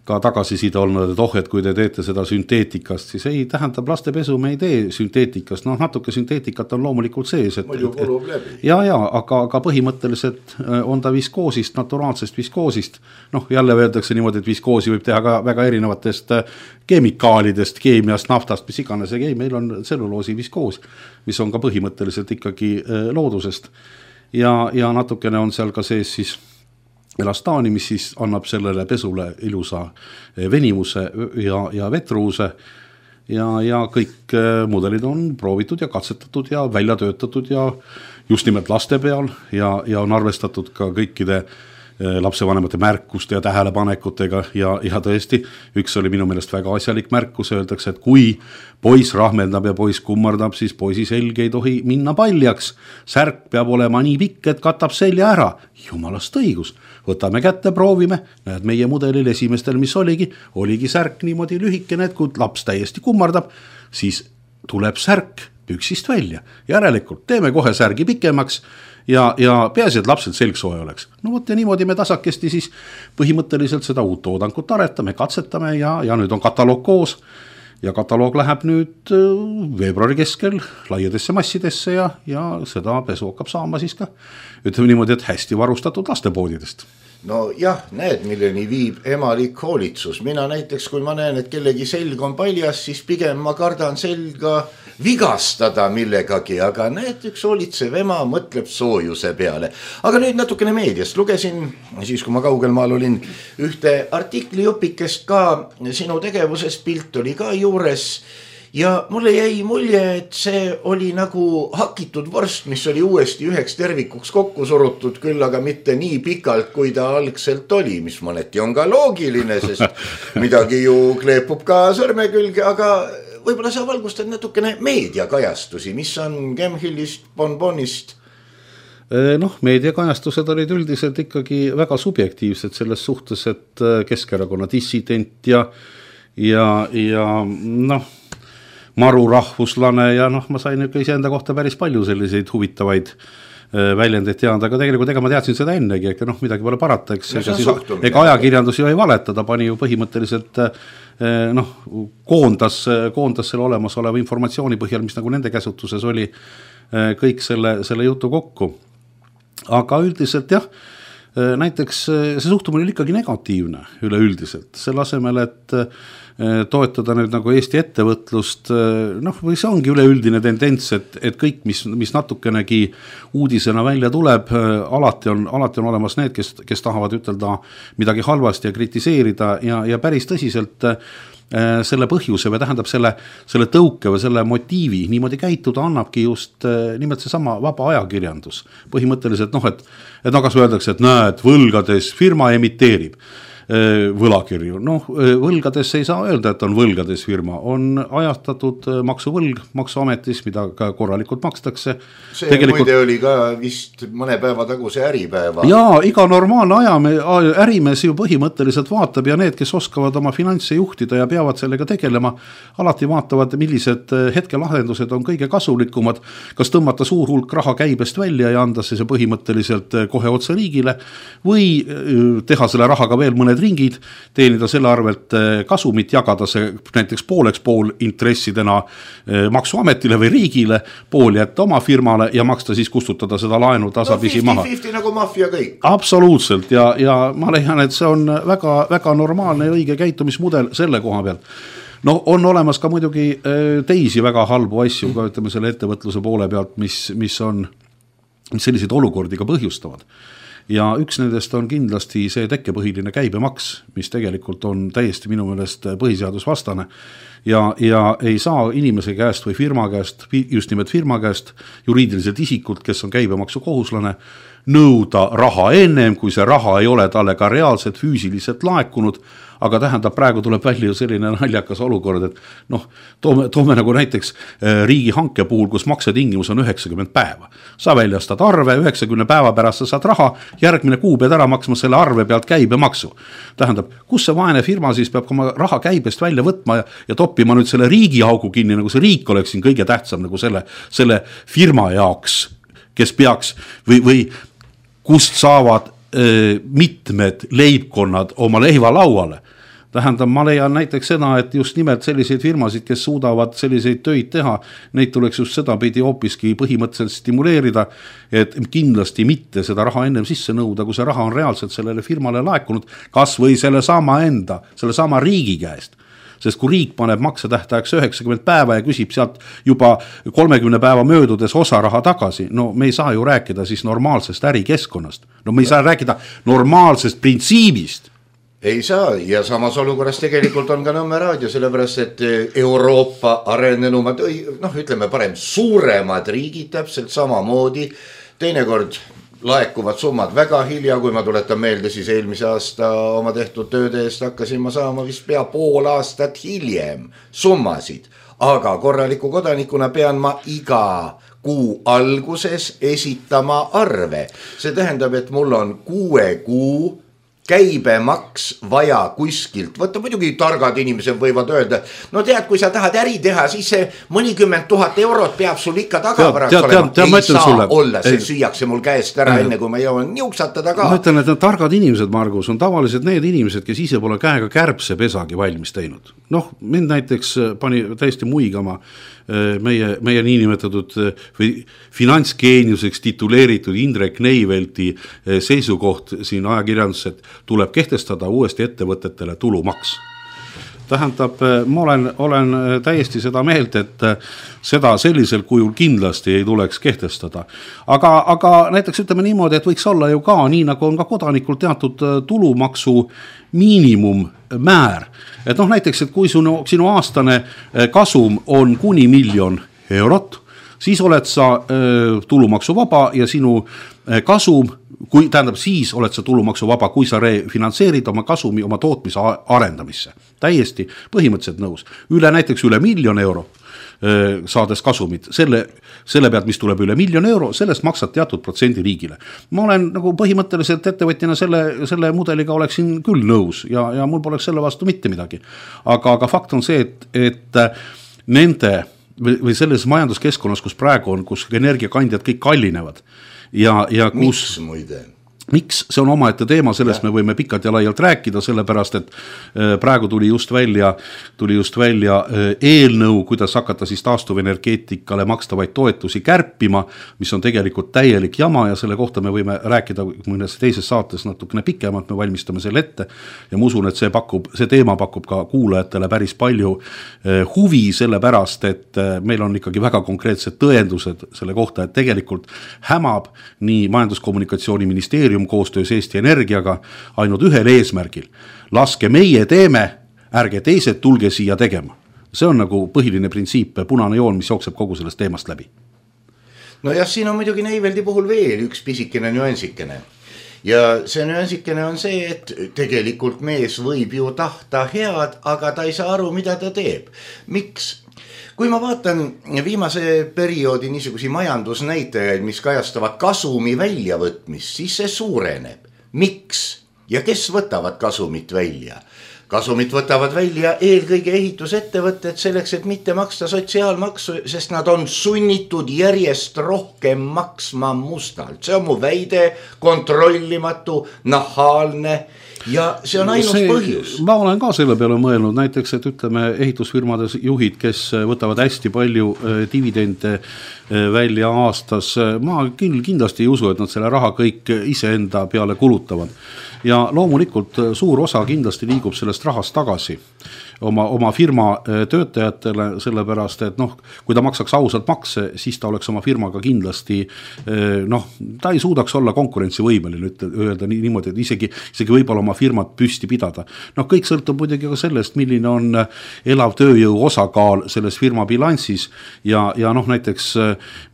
ka tagasiside olnud, et oh, et kui te teete seda sünteetikast, siis ei tähendab lastepesu, me ei tee sünteetikast, noh natuke sünteetikat on loomulikult sees. Et,
muidu kulub läbi.
Ja, ja, aga, aga põhimõtteliselt on ta viskoosist, naturaalsest viskoosist, noh jälle öeldakse niimoodi, et viskoosi võib teha ka väga erinevatest keemikaalidest, keemiast, naftast, mis iganes, ei, meil on tselluloosi viskoos, mis on ka põhimõtteliselt ikkagi loodusest ja, ja natukene on seal ka sees siis elastaani, mis siis annab sellele pesule ilusa venimuse ja, ja vetruuse ja, ja kõik mudelid on proovitud ja katsetatud ja välja töötatud ja just nimelt laste peal ja, ja on arvestatud ka kõikide lapsevanemate märkuste ja tähelepanekutega ja, ja tõesti, üks oli minu meelest väga asjalik märkus, öeldakse, et kui poiss rahmeldab ja poiss kummardab, siis poisi selg ei tohi minna paljaks, särk peab olema nii pikk, et katab selja ära, jumalast õigus, võtame kätte, proovime, näed meie mudelil esimestel, mis oligi, oligi särk niimoodi lühikene, et kui laps täiesti kummardab, siis tuleb särk püksist välja, järelikult teeme kohe särgi pikemaks, ja, ja peaasi, et lapsel selg soe oleks. No võt ja niimoodi me tasakesti siis põhimõtteliselt seda uut toodangut aretame, katsetame ja, ja nüüd on kataloog koos ja kataloog läheb nüüd veebruari keskel laiadesse massidesse ja, ja seda pesu hakkab saama siis ka, ütleme niimoodi, et hästi varustatud lastepoodidest.
No jah, näed, milleni viib emalik hoolitsus. Mina näiteks, kui ma näen, et kellegi selg on paljas, siis pigem ma kardan selga vigastada millegagi, aga näed, üks hoolitsev ema mõtleb soojuse peale. Aga nüüd natukene meediast. Lugesin, siis kui ma kaugel maal olin, ühte artikli õpikest ka, sinu tegevusest pilt oli ka juures ja mulle jäi mulje, et see oli nagu hakitud vorst, mis oli uuesti üheks tervikuks kokku surutud, küll aga mitte nii pikalt, kui ta algselt oli, mis mõneti on ka loogiline, sest midagi ju kleepub ka sõrme külge, aga võib-olla sa valgustad natukene meediakajastusi, mis on Gemhillist, Bonbonist?
Noh, meediakajastused olid üldiselt ikkagi väga subjektiivsed selles suhtes, et Keskerakonna dissident ja, ja, ja noh, maru rahvuslane ja noh, ma sain ikka iseenda kohta päris palju selliseid huvitavaid väljendeid teada, aga tegelikult ega ma teadsin seda ennegi, ega noh, midagi pole parata, eks ega, siis, ega ajakirjandus ju ei valeta, ta pani ju põhimõtteliselt noh, koondas, koondas selle olemasoleva informatsiooni põhjal, mis nagu nende käsutuses oli, kõik selle, selle jutu kokku. Aga üldiselt jah, näiteks see suhtumine oli ikkagi negatiivne üleüldiselt, selle asemel, et toetada nüüd nagu Eesti ettevõtlust, noh, või see ongi üleüldine tendents, et, et kõik, mis, mis natukenegi uudisena välja tuleb, alati on, alati on olemas need, kes, kes tahavad ütelda midagi halvasti ja kritiseerida ja, ja päris tõsiselt selle põhjuse või tähendab selle, selle tõuke või selle motiivi niimoodi käituda annabki just nimelt see sama vaba ajakirjandus. Põhimõtteliselt, noh, et, et no kas öeldakse, et näed, võlgades firma emiteerib võlakirju. Noh, võlgades ei saa öelda, et on võlgades firma. On ajastatud maksuvõlg maksuametis, mida ka korralikult makstakse.
See Tegelikult... muide oli ka vist mõne päeva taguse äripäeva.
Jaa, iga normaalne ajame, ärimees ju põhimõtteliselt vaatab ja need, kes oskavad oma finantse juhtida ja peavad sellega tegelema, alati vaatavad, millised hetkelahendused on kõige kasulikumad, kas tõmmata suur hulk raha käibest välja ja anda see põhimõtteliselt kohe otse riigile või teha selle rahaga veel mõned ringid, teenida selle arvelt kasumit, jagada see näiteks pooleks pool intressidena maksuametile või riigile, pool jätta oma firmale ja maksta siis kustutada seda laenu tasapisi
no,
maha.
viiskümmend viiskümmend nagu maffia kõik.
Absoluutselt ja, ja ma leian, et see on väga, väga normaalne ja õige käitumismudel selle koha peal. No on olemas ka muidugi teisi väga halbu asju, ka ütleme selle ettevõtluse poole pealt, mis, mis on mis selliseid olukordi ka põhjustavad. Ja üks nendest on kindlasti see tekkepõhiline käibemaks, mis tegelikult on täiesti minu meelest põhiseadusvastane ja, ja ei saa inimese käest või firma käest, just nimelt firma käest, juriidiliselt isikult, kes on käibemaksu kohuslane, nõuda raha ennem, kui see raha ei ole talle ka reaalselt füüsiliselt laekunud, aga tähendab, praegu tuleb välja selline naljakas olukord, et noh, toome, toome nagu näiteks riigi hanke puhul, kus maksetingimus on üheksakümmend päeva. Sa väljastad arve, üheksakümne päeva pärast sa saad raha, järgmine kuu pead ära maksma selle arve pealt käibemaksu. Tähendab, kus see vaene firma siis peab oma raha käibest välja võtma ja, ja toppima nüüd selle riigi augu kinni, nagu see riik oleks siin kõige tähtsam nagu selle, selle firma jaoks, kes peaks või, või kust saavad öö, mitmed leibkonnad oma leiva lauale. Tähendab, ma leian näiteks seda, et just nimelt selliseid firmasid, kes suudavad selliseid töid teha, neid tuleks just seda pidi hoopiski põhimõtteliselt stimuleerida, et kindlasti mitte seda raha ennem sisse nõuda, kui see raha on reaalselt sellele firmale laekunud, kas või selle sama enda, selle sama riigi käest. Sest kui riik paneb maksetähtajaks üheksakümmend päeva ja küsib sealt juba kolmekümne päeva möödudes osa raha tagasi, no me ei saa ju rääkida siis normaalsest ärikeskkonnast. No me ei saa rääkida normaalsest printsiibist.
Ei saa ja samas olukorras tegelikult on ka Nõmme raadio, sellepärast et Euroopa arenenumad, noh ütleme parem suuremad riigid täpselt samamoodi, teinekord laekuvad summad väga hilja, kui ma tuletan meelde, siis eelmise aasta oma tehtud tööde eest hakkasin ma saama vist pea pool aastat hiljem summasid, aga korraliku kodanikuna pean ma iga kuu alguses esitama arve. See tähendab, et mul on kuue kuu käibemaks vaja kuskilt võtta, muidugi targad inimesed võivad öelda, no tead, kui sa tahad äri teha, siis see mõnikümmend tuhat eurot peab sul ikka tagavarast olema. Ei saa sulle. Olla, see ei. Süüakse mul käest ära, enne kui ma jõuan niuksatada ka.
Ma ütlen, et need targad inimesed, Margus, on tavaliselt need inimesed, kes ise pole käega kärbse pesagi valmis teinud. Noh, mind näiteks pani täiesti muigama meie, meie niinimetatud või finantsgeeniuseks tituleeritud Indrek Neivelti seisukoht siin ajakirjanduses, et tuleb kehtestada uuesti ettevõtetele tulumaks. Tähendab, ma olen, olen täiesti seda meelt, et seda sellisel kujul kindlasti ei tuleks kehtestada. Aga, aga näiteks ütleme niimoodi, et võiks olla ju ka nii, nagu on ka kodanikul teatud tulumaksu miinimummäär. Et noh, näiteks, et kui sinu, sinu aastane kasum on kuni miljon eurot, siis oled sa äh, tulumaksu vaba ja sinu äh, kasum, kui tähendab siis oled sa tulumaksu vaba, kui sa refinantseerid oma kasumi oma tootmise arendamisse. Täiesti põhimõtteliselt nõus. Üle näiteks üle miljon euro äh, saades kasumit, selle, selle pealt, mis tuleb üle miljon euro, sellest maksad teatud protsendi riigile. Ma olen nagu põhimõtteliselt ettevõtjana selle, selle mudeliga oleksin küll nõus ja, ja mul poleks selle vastu mitte midagi. Aga, aga fakt on see, et, et nende või selles majanduskeskkonnas, kus praegu on, kus energiakandjad kõik kallinevad ja, ja kus...
Miks muide?
Miks? See on omaette teema, sellest ja. Me võime pikalt ja laialt rääkida, sellepärast, et praegu tuli just välja, tuli just välja eelnõu, kuidas hakata siis taastuvenergeetikale makstavaid toetusi kärpima, mis on tegelikult täielik jama ja selle kohta me võime rääkida mõnes teises saates natukene pikemalt, me valmistame selle ette ja ma usun, et see, pakub, see teema pakub ka kuulajatele päris palju huvi, sellepärast, et meil on ikkagi väga konkreetsed tõendused selle kohta, et tegelikult hämab nii majandus-kommunikatsiooniministeerium koostöös Eesti Energiaga ainult ühel eesmärgil. Laske meie teeme, ärge teised tulge siia tegema. See on nagu põhiline printsiip, punane joon, mis jookseb kogu sellest teemast läbi.
No jah, siin on muidugi Neiveldi puhul veel üks pisikene nüansikene. Ja see nüansikene on see, et tegelikult mees võib ju tahta head, aga ta ei saa aru, mida ta teeb. Miks? Kui ma vaatan viimase perioodi niisugusi majandusnäitajaid, mis kajastavad kasumi väljavõtmist, siis see suureneb. Miks? Ja kes võtavad kasumit välja? Kasumit võtavad välja eelkõige ehitusettevõtted selleks, et mitte maksta sotsiaalmaksu, sest nad on sunnitud järjest rohkem maksma mustalt. See on mu väide, kontrollimatu, nahaalne. Ja see on ainus see, põhjus.
Ma olen ka selle peale mõelnud, näiteks, et ütleme ehitusfirmade juhid, kes võtavad hästi palju dividende välja aastas, ma küll kindlasti ei usu, et nad selle raha kõik iseenda peale kulutavad. Ja loomulikult suur osa kindlasti liigub selle sellest rahast tagasi oma, oma firma töötajatele, sellepärast, et noh, kui ta maksaks ausalt makse, siis ta oleks oma firmaga kindlasti noh, ta ei suudaks olla konkurentsivõimeline, öelda nii, niimoodi, et isegi, isegi võib-olla oma firmat püsti pidada. Noh, kõik sõltub muidugi ka sellest, milline on elav tööjõu osakaal selles firma bilansis ja, ja noh, näiteks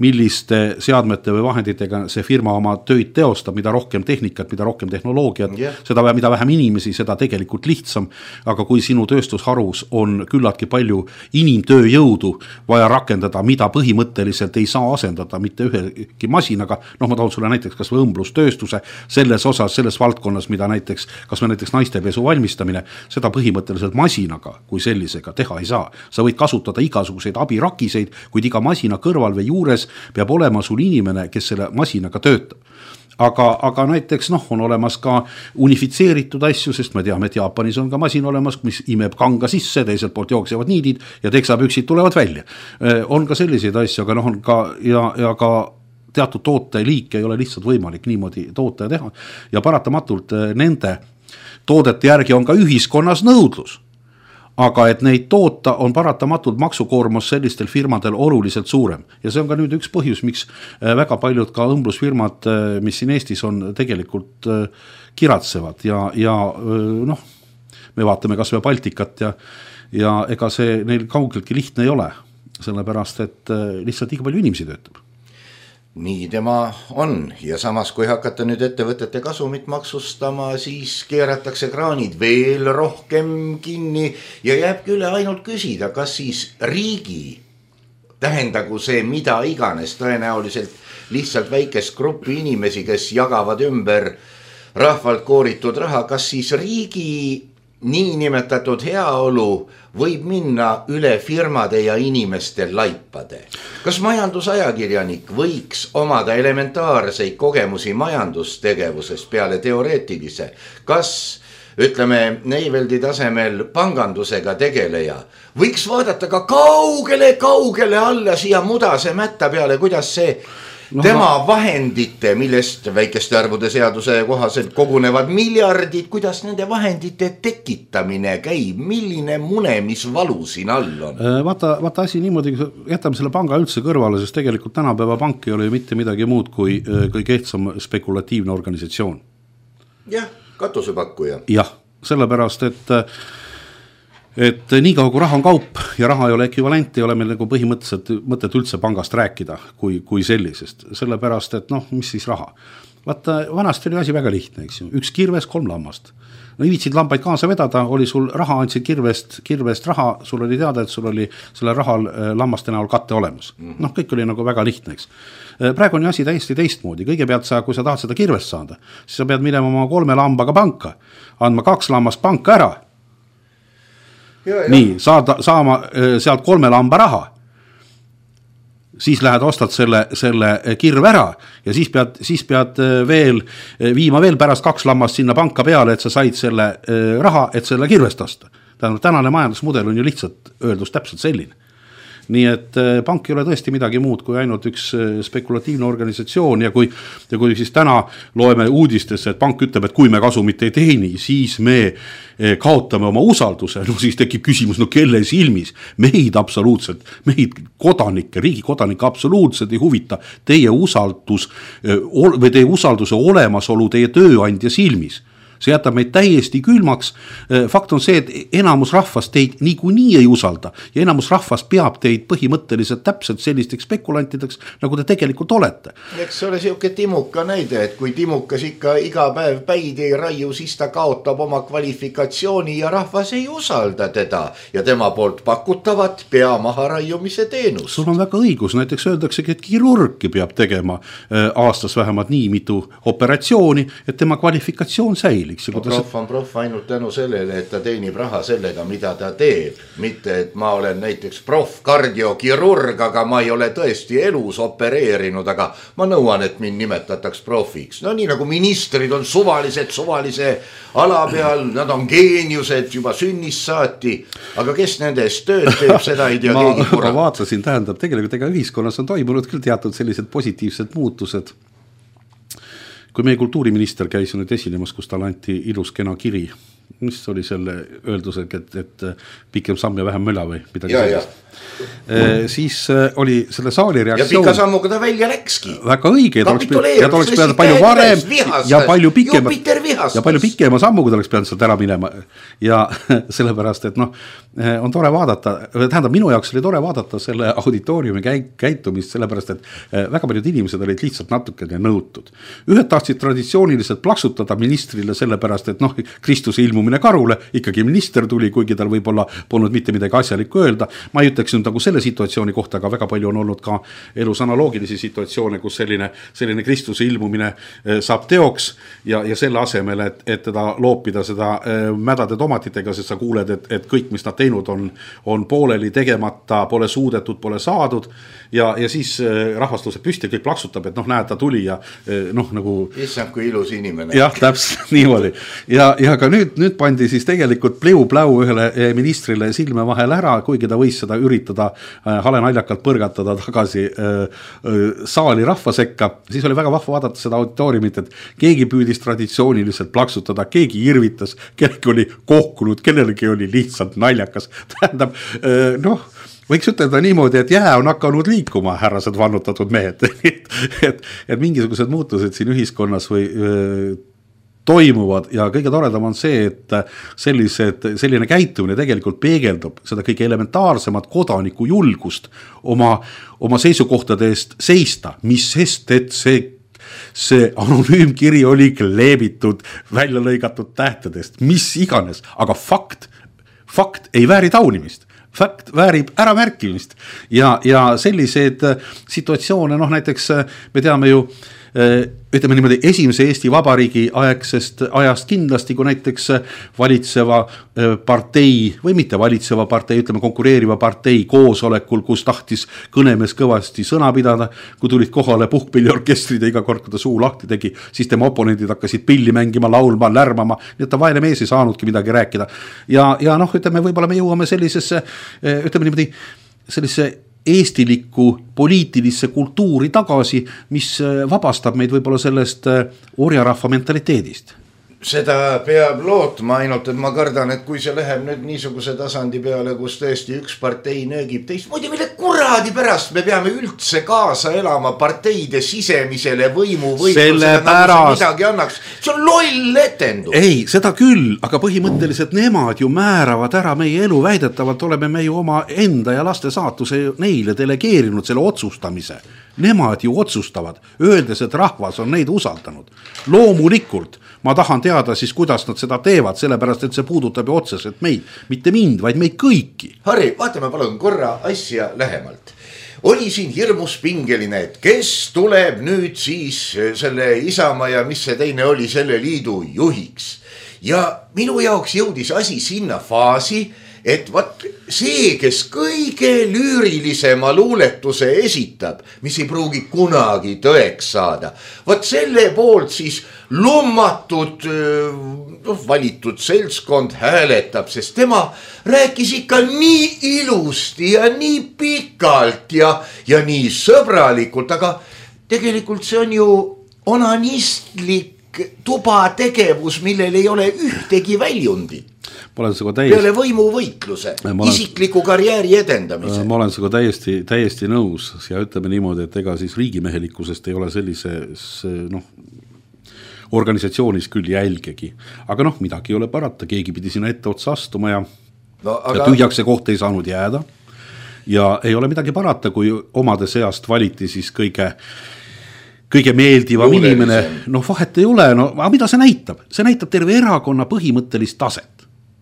milliste seadmete või vahenditega see firma oma tööd teostab, mida rohkem tehnikat, mida rohkem tehnoloogiat, yeah. seda, mida vähem inimesi, seda tegelikult lihtsam, aga kui sinu tööstusharus on küllaltki palju inimtööjõudu vaja rakendada, mida põhimõtteliselt ei saa asendada mitte ühegi masinaga, noh ma toon sulle näiteks kas või õmblustööstuse selles osas, selles valdkonnas, mida näiteks, kas või näiteks naistepesu valmistamine, seda põhimõtteliselt masinaga kui sellisega teha ei saa. Sa võid kasutada igasuguseid abirakiseid, kuid iga masina kõrval või juures peab olema sul inimene, kes selle masinaga töötab. Aga, aga näiteks noh, on olemas ka unifitseeritud asju, sest me teame, et Jaapanis on ka masin olemas, mis imeb kanga sisse, teiselt poolt jooksevad niidid ja teksapüksid tulevad välja. On ka selliseid asju, aga noh, on ka ja, ja ka teatud tooteliike ei ole lihtsalt võimalik niimoodi toota ja teha. Ja paratamatult nende toodete järgi on ka ühiskonnas nõudlus. Aga et neid toota on paratamatult maksukoormus sellistel firmadel oluliselt suurem. Ja see on ka nüüd üks põhjus, miks väga paljud ka õmblusfirmad, mis siin Eestis on, tegelikult kiratsevad. Ja, ja noh, me vaatame kas või Baltikat ja, ja ega see neil kaugeltki lihtne ei ole. Sellepärast, et lihtsalt liiga palju inimesi töötab.
Nii tema on ja samas kui hakata nüüd ettevõtete kasumit maksustama, siis keeratakse kraanid veel rohkem kinni ja jääbki üle ainult küsida, kas siis riigi, tähendagu see mida iganes, tõenäoliselt lihtsalt väikest gruppi inimesi, kes jagavad ümber rahvalt kooritud raha, kas siis riigi niinimetatud heaolu võib minna üle firmade ja inimeste laipade. Kas majandusajakirjanik võiks omada elementaarseid kogemusi majandustegevusest peale teoreetilise? Kas, ütleme, Neiveldi tasemel pangandusega tegeleja võiks vaadata ka kaugele, kaugele alla siia mudase mätta peale, kuidas see No, tema vahendite, millest väikeste arvude seaduse kohaselt kogunevad miljardid, kuidas nende vahendite tekitamine käib, milline mune, mis valu siin all on?
Vaata, vaata asi niimoodi, jätame selle panga üldse kõrvale, sest tegelikult tänapäeva pank ei ole mitte midagi muud kui, kui kehtsam spekulatiivne organisatsioon.
Jah, katusepakkuja.
Jah, sellepärast, et et nii kaua kui raha on kaup ja raha ei ole ekvivalent, ei ole meil nagu põhimõtteliselt mõtet üldse pangast rääkida kui, kui sellisest, sellepärast, et noh, mis siis raha. Vaata, vanasti oli asi väga lihtne, eks ju, üks kirves, kolm lammast. No viitsid lambaid kaasa vedada, oli sul raha, andsid kirvest, kirvest raha, sul oli teada, et sul oli selle rahal lammaste näol katte olemas. Noh, kõik oli nagu väga lihtne, eks. Praegu on asi täiesti teistmoodi, kõigepealt sa, kui sa tahad seda kirvest saada, siis sa pead minema oma kolme lambaga panka, andma kaks lammast panka ära. Ja, ja. Nii, saada, saama sealt kolme lamba raha, siis lähed ostad selle, selle kirve ära ja siis pead, siis pead veel viima veel pärast kaks lammast sinna panka peale, et sa said selle raha, et selle kirvest osta. Tähendab, tänane majandusmudel on ju lihtsalt öeldus täpselt selline. Nii et pank ei ole tõesti midagi muud kui ainult üks spekulatiivne organisatsioon ja kui, ja kui siis täna loeme uudistesse, et pank ütleb, et kui me kasumit ei teeni, siis me kaotame oma usalduse, no siis tekib küsimus, no kelle silmis, meid absoluutselt, meid kodanikke, riigi kodanikke absoluutselt ei huvita teie usaldus või teie usalduse olemasolu teie tööandja silmis. See jätab meid täiesti külmaks. Fakt on see, et enamus rahvast teid niikuinii ei usalda ja enamus rahvast peab teid põhimõtteliselt täpselt sellisteks spekulantideks, nagu te tegelikult olete.
Eks see ole siuke Timuka näide, et kui Timukas ikka iga päev päid ei raiu, siis ta kaotab oma kvalifikatsiooni ja rahvas ei usalda teda ja tema poolt pakutavat pea maha raiumise teenus.
Sul on väga õigus, näiteks öeldaksegi, et kirurgi peab tegema aastas vähemalt nii mitu operatsiooni, et tema kvalifikatsioon säili.
No, prof on prof ainult tänu sellele, et ta teenib raha sellega, mida ta teeb. Mitte, et ma olen näiteks prof kardiokirurg, aga ma ei ole tõesti elus opereerinud, aga ma nõuan, et mind nimetataks profiks. No nii nagu ministrid on suvalised, suvalise ala peal, nad on geeniused juba sünnist saati, aga kes nendest tööd teeb, seda ei tea
ma,
keegi kurat.
Ma vaatasin, tähendab, tegelikult ega ühiskonnas on toimunud küll teatud sellised positiivsed muutused. Kui meie kultuuriminister käis nüüd esinemas, kus tal anti ilus kena kiri mis oli selle öeldusega, et, et pikem samm ja vähem möla või midagi
ja,
sellist. E, siis oli selle saali reaktsioon.
Ja pika sammuga ta välja läkski.
Väga õige, ta oleks pidanud palju varem ja palju pikema, ja palju pikema sammuga ta oleks pidanud sealt ära minema. Ja sellepärast, et noh, on tore vaadata, tähendab minu jaoks oli tore vaadata selle auditooriumi käitumist, sellepärast, et väga paljud inimesed olid lihtsalt natukene nõutud. Ühed tahtsid traditsiooniliselt plaksutada ministrile sellepärast, et noh, Kristuse ilmumine karule, ikkagi minister tuli, kuigi tal võib-olla polnud mitte midagi asjalikku öelda. Ma ei ütleks nüüd nagu selle situatsiooni kohta, aga väga palju on olnud ka elus analoogilisi situatsioone, kus selline, selline Kristuse ilmumine saab teoks ja, ja selle asemel, et, et teda loopida seda mädade tomatitega, sest sa kuuled, et, et kõik, mis nad teinud on, on pooleli tegemata, pole suudetud, pole saadud ja, ja siis rahvastuse püsti kõik plaksutab, et noh, näed, ta tuli ja noh, nagu
issand, kui ilus inimene.
Jah, täpselt niimoodi. Ja, ja ka nüüd, nüüd pandi siis tegelikult pliu-pläu ühele ministrile silme vahel ära, kuigi ta võis seda üritada hale naljakalt põrgatada tagasi saali rahva sekka. Siis oli väga vahva vaadata seda auditooriumit, et keegi püüdis traditsiooniliselt plaksutada, keegi irvitas, kellegi oli kohkunud, kellelegi oli lihtsalt naljakas. Tähendab, noh, võiks ütelda niimoodi, et jää on hakanud liikuma, härrased vannutatud mehed. et, et, et mingisugused muutused siin ühiskonnas või öö, toimuvad ja kõige toredam on see, et sellised, selline käitumine tegelikult peegeldub seda kõige elementaarsemat kodaniku julgust oma, oma seisukohtade eest seista, mis sest, et see see anonüümkiri oli kleebitud, välja lõigatud tähtedest, mis iganes, aga fakt, fakt ei vääri taunimist. Fakt väärib äramärkimist ja, ja selliseid situatsioone, noh näiteks me teame ju, ütleme niimoodi esimese Eesti Vabariigi aegsest ajast kindlasti, kui näiteks valitseva partei või mitte valitseva partei, ütleme konkureeriva partei koosolekul, kus tahtis kõnemees kõvasti sõna pidada, kui tulid kohale puhkpilliorkestrid ja iga kord, kui ta suu lahti tegi, siis tema oponendid hakkasid pilli mängima, laulma, lärmama, nii et ta vaene mees ei saanudki midagi rääkida. Ja, ja noh, ütleme, võib-olla me jõuame sellisesse, ütleme niimoodi, sellise eestilikku poliitilisse kultuuri tagasi, mis vabastab meid võib-olla sellest orjarahva mentaliteedist.
Seda peab lootma, ainult et ma kardan, et kui see läheb nüüd niisuguse tasandi peale, kus tõesti üks partei nöögib teist, muidu mille kuradi pärast me peame üldse kaasa elama parteide sisemisele võimu võitlusele, nagu see midagi annaks. See on loll etendus.
Ei, seda küll, aga põhimõtteliselt nemad ju määravad ära meie elu, väidetavalt oleme me ju oma enda ja laste saatuse neile delegeerinud selle otsustamise. Nemad ju otsustavad, öeldes, et rahvas on neid usaldanud. Loomulikult ma tahan teada siis, kuidas nad seda teevad, sellepärast, et see puudutab ju otseselt meid, mitte mind, vaid meid kõiki.
Harri, vaatame palun korra asja lähemalt. Oli siin hirmus pingeline, et kes tuleb nüüd siis selle Isamaa ja mis see teine oli selle liidu juhiks. Ja minu jaoks jõudis asi sinna faasi, et vaat see, kes kõige lüürilisema luuletuse esitab, mis ei pruugi kunagi tõeks saada, vaat selle poolt siis lummatud, no, valitud seltskond hääletab, sest tema rääkis ikka nii ilusti ja nii pikalt ja, ja nii sõbralikult, aga tegelikult see on ju onanistlik tuba tegevus, millel ei ole ühtegi väljundit.
Täiesti,
peale võimuvõitluse, olen, isikliku karjääri edendamise.
Ma olen sinuga täiesti, täiesti nõus ja ütleme niimoodi, et ega siis riigimehelikkusest ei ole sellises noh, organisatsioonis küll jälgegi. Aga noh, midagi ei ole parata, keegi pidi sinna ette otsa astuma ja, no, aga... ja tühjaks see koht ei saanud jääda. Ja ei ole midagi parata, kui omade seast valiti siis kõige kõige meeldivam Luulelisem. Inimene, noh vahet ei ole, no aga mida see näitab? See näitab terve erakonna põhimõttelist taset.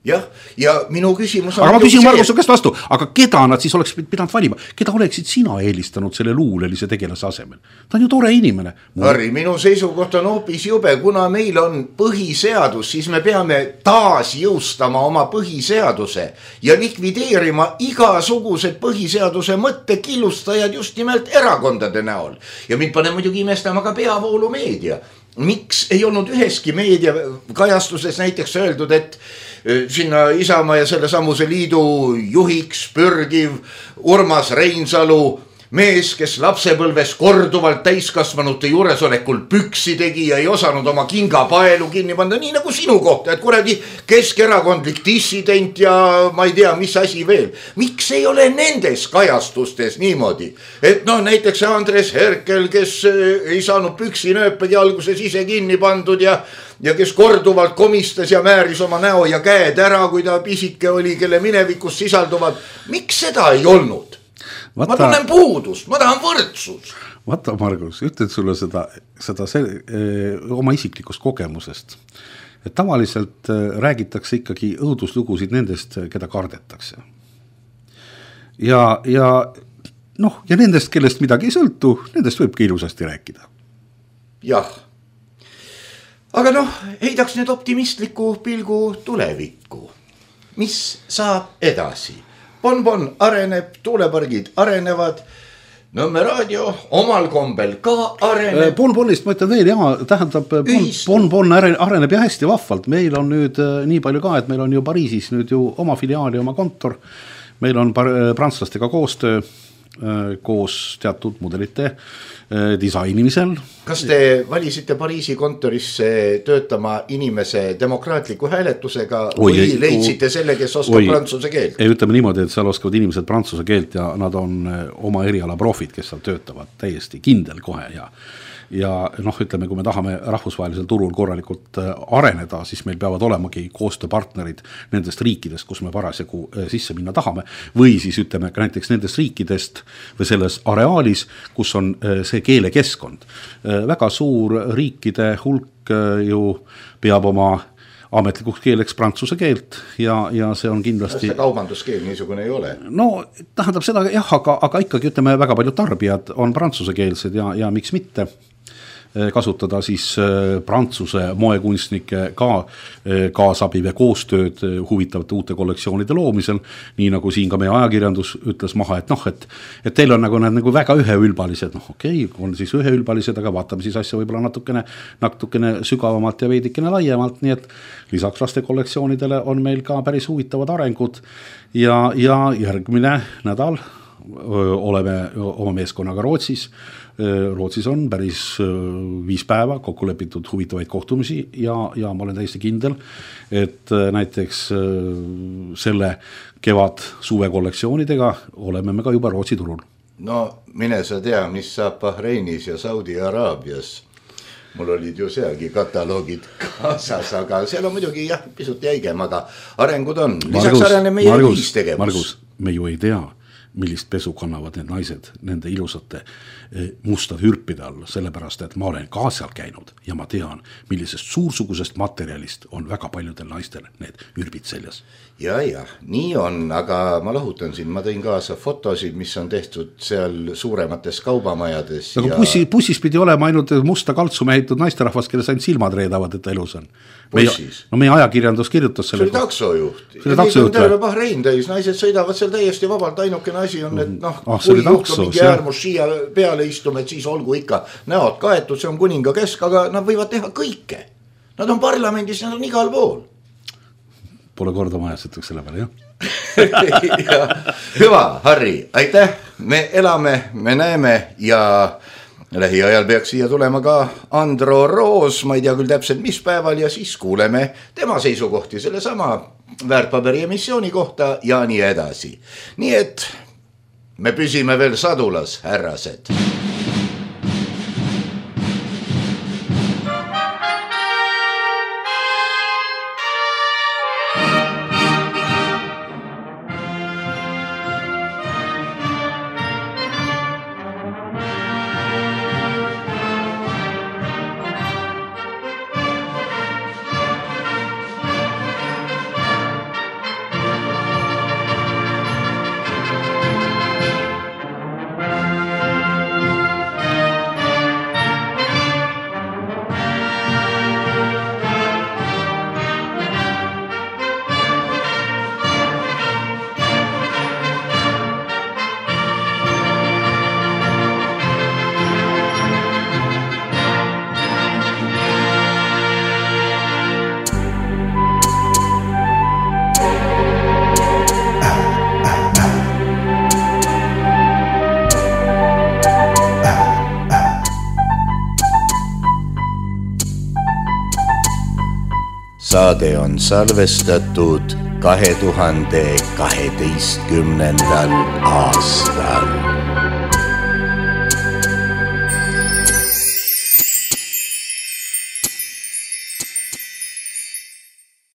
Jah, ja minu küsimus on...
Aga ma küsin Margus käest vastu, aga keda nad siis oleks pidanud valima? Keda oleksid sina eelistanud selle luulelise tegelase asemel? Ta on ju tore inimene.
Harri, minu seisukoht on hoopis jube, kuna meil on põhiseadus, siis me peame taas jõustama oma põhiseaduse ja likvideerima igasugused põhiseaduse mõttekillustajad just nimelt erakondade näol. Ja mind pane muidugi imestama ka peavoolumeedia. Miks ei olnud üheski meedia kajastuses näiteks öeldud, et sinna Isamaa ja selle samuse liidu juhiks pürgiv Urmas Reinsalu mees, kes lapsepõlves korduvalt täiskasvanute juuresolekul püksi tegi ja ei osanud oma kingapaelu kinni panna, nii nagu sinu kohta, et kuradi keskerakondlik dissident ja ma ei tea, mis asi veel. Miks ei ole nendes kajastustes niimoodi, et noh, näiteks Andres Herkel, kes ei saanud püksinööpedi alguses ise kinni pandud ja ja kes korduvalt komistas ja määris oma näo ja käed ära, kui ta pisike oli, kelle minevikus sisalduvad. Miks seda ei olnud? Vaata, ma tunnen puudust, ma tahan võrdsus.
Vaata, Margus, ütled sulle seda, seda see, öö, oma isiklikust kogemusest. Et tavaliselt öö, räägitakse ikkagi õuduslugusid nendest, keda kardetakse. Ja, ja, noh, ja nendest, kellest midagi ei sõltu, nendest võibki ilusasti rääkida.
Jah. Aga noh, heidaks nüüd optimistliku pilgu tulevikku. Mis saab edasi? Bonbon areneb, tuulepargid arenevad, Nõmme raadio omal kombel ka areneb.
Bonbonist ma ütlen veel, jah, tähendab, Bonbon areneb ja hästi vahvalt. Meil on nüüd nii palju ka, et meil on ju Pariisis nüüd ju oma filiaali, oma kontor. Meil on prantslastega koostöö koos teatud mudelite disainimisel.
Kas te valisite Pariisi kontorisse töötama inimese demokraatliku hääletusega või oi, leidsite selle, kes oskab oi, prantsuse keelt?
Ei, ütleme niimoodi, et seal oskavad inimesed prantsuse keelt ja nad on oma eriala profid, kes seal töötavad täiesti kindel kohe ja ja noh, ütleme, kui me tahame rahvusvahelisel turul korralikult areneda, siis meil peavad olemagi koostööpartnerid nendest riikidest, kus me parasjagu sisse minna tahame, või siis ütleme ka näiteks nendest riikidest või selles areaalis, kus on see keelekeskkond. Väga suur riikide hulk ju peab oma ametlikuks keeleks prantsuse keelt ja, ja see on kindlasti...
See kaubanduskeel niisugune ei ole.
No tähendab seda, jah, aga, aga ikkagi ütleme, väga palju tarbijad on prantsusekeelsed ja, ja miks mitte kasutada siis prantsuse moekunstnike ka kaasabi või koostööd huvitavate uute kollektsioonide loomisel, nii nagu siin ka meie ajakirjandus ütles maha, et noh, et, et teil on nagu need nagu väga üheülbalised, noh okei, okay, on siis üheülbalised, aga vaatame siis asja võib-olla natukene, natukene sügavamalt ja veidikene laiemalt, nii et lisaks laste kollektsioonidele on meil ka päris huvitavad arengud ja, ja järgmine nädal öö, oleme oma meeskonnaga Rootsis. Rootsis on päris viis päeva kokku lepitud huvitavaid kohtumisi ja, ja ma olen täiesti kindel, et näiteks selle kevad suve kollektsioonidega oleme me ka juba Rootsi turul.
No mine sa tea, mis saab Bahreinis ja Saudi-Araabias. Mul olid ju sealgi kataloogid kaasas, aga seal on muidugi jah, pisut jäigem, aga arengud on. Lisaks Margus, areneb meie ühistegevus.
Margus, me ju ei tea, millist pesu kannavad need naised nende ilusate mustade hürpide all, sellepärast, et ma olen ka seal käinud ja ma tean, millisest suursugusest materjalist on väga paljudel naistel need hürbid seljas.
Ja, ja, nii on, aga ma lahutan siin, ma tõin kaasa fotosid, mis on tehtud seal suuremates kaubamajades.
Aga ja... bussi, bussis pidi olema ainult musta kaltsu mehitud naisterahvas, kelles ainult silmad reedavad, et ta elus on. Meie, no meie ajakirjandus kirjutas selle.
See oli taksojuht. See oli taksojuht. Terve Bahrein täis, naised sõidavad seal täiesti vabalt, ainukene asi on, et noh,
ah,
kui juhtu mingi äärmus siia peale istume, et siis olgu ikka näod kaetud, see on kuninga kesk, aga nad võivad teha kõike. Nad on parlamendis, nad on igal pool.
Pole korda majas, ütleks selle peale, jah?
ja, hüva, Harri, aitäh, me elame, me näeme ja lähiajal peaks siia tulema ka Andro Roos, ma ei tea küll täpselt mis päeval ja siis kuuleme tema seisukohti selle sama väärtpaberi emissiooni kohta ja nii edasi. Nii et me püsime veel sadulas, härrased. saade on salvestatud kahe tuhande kaheteistkümnendal aastal.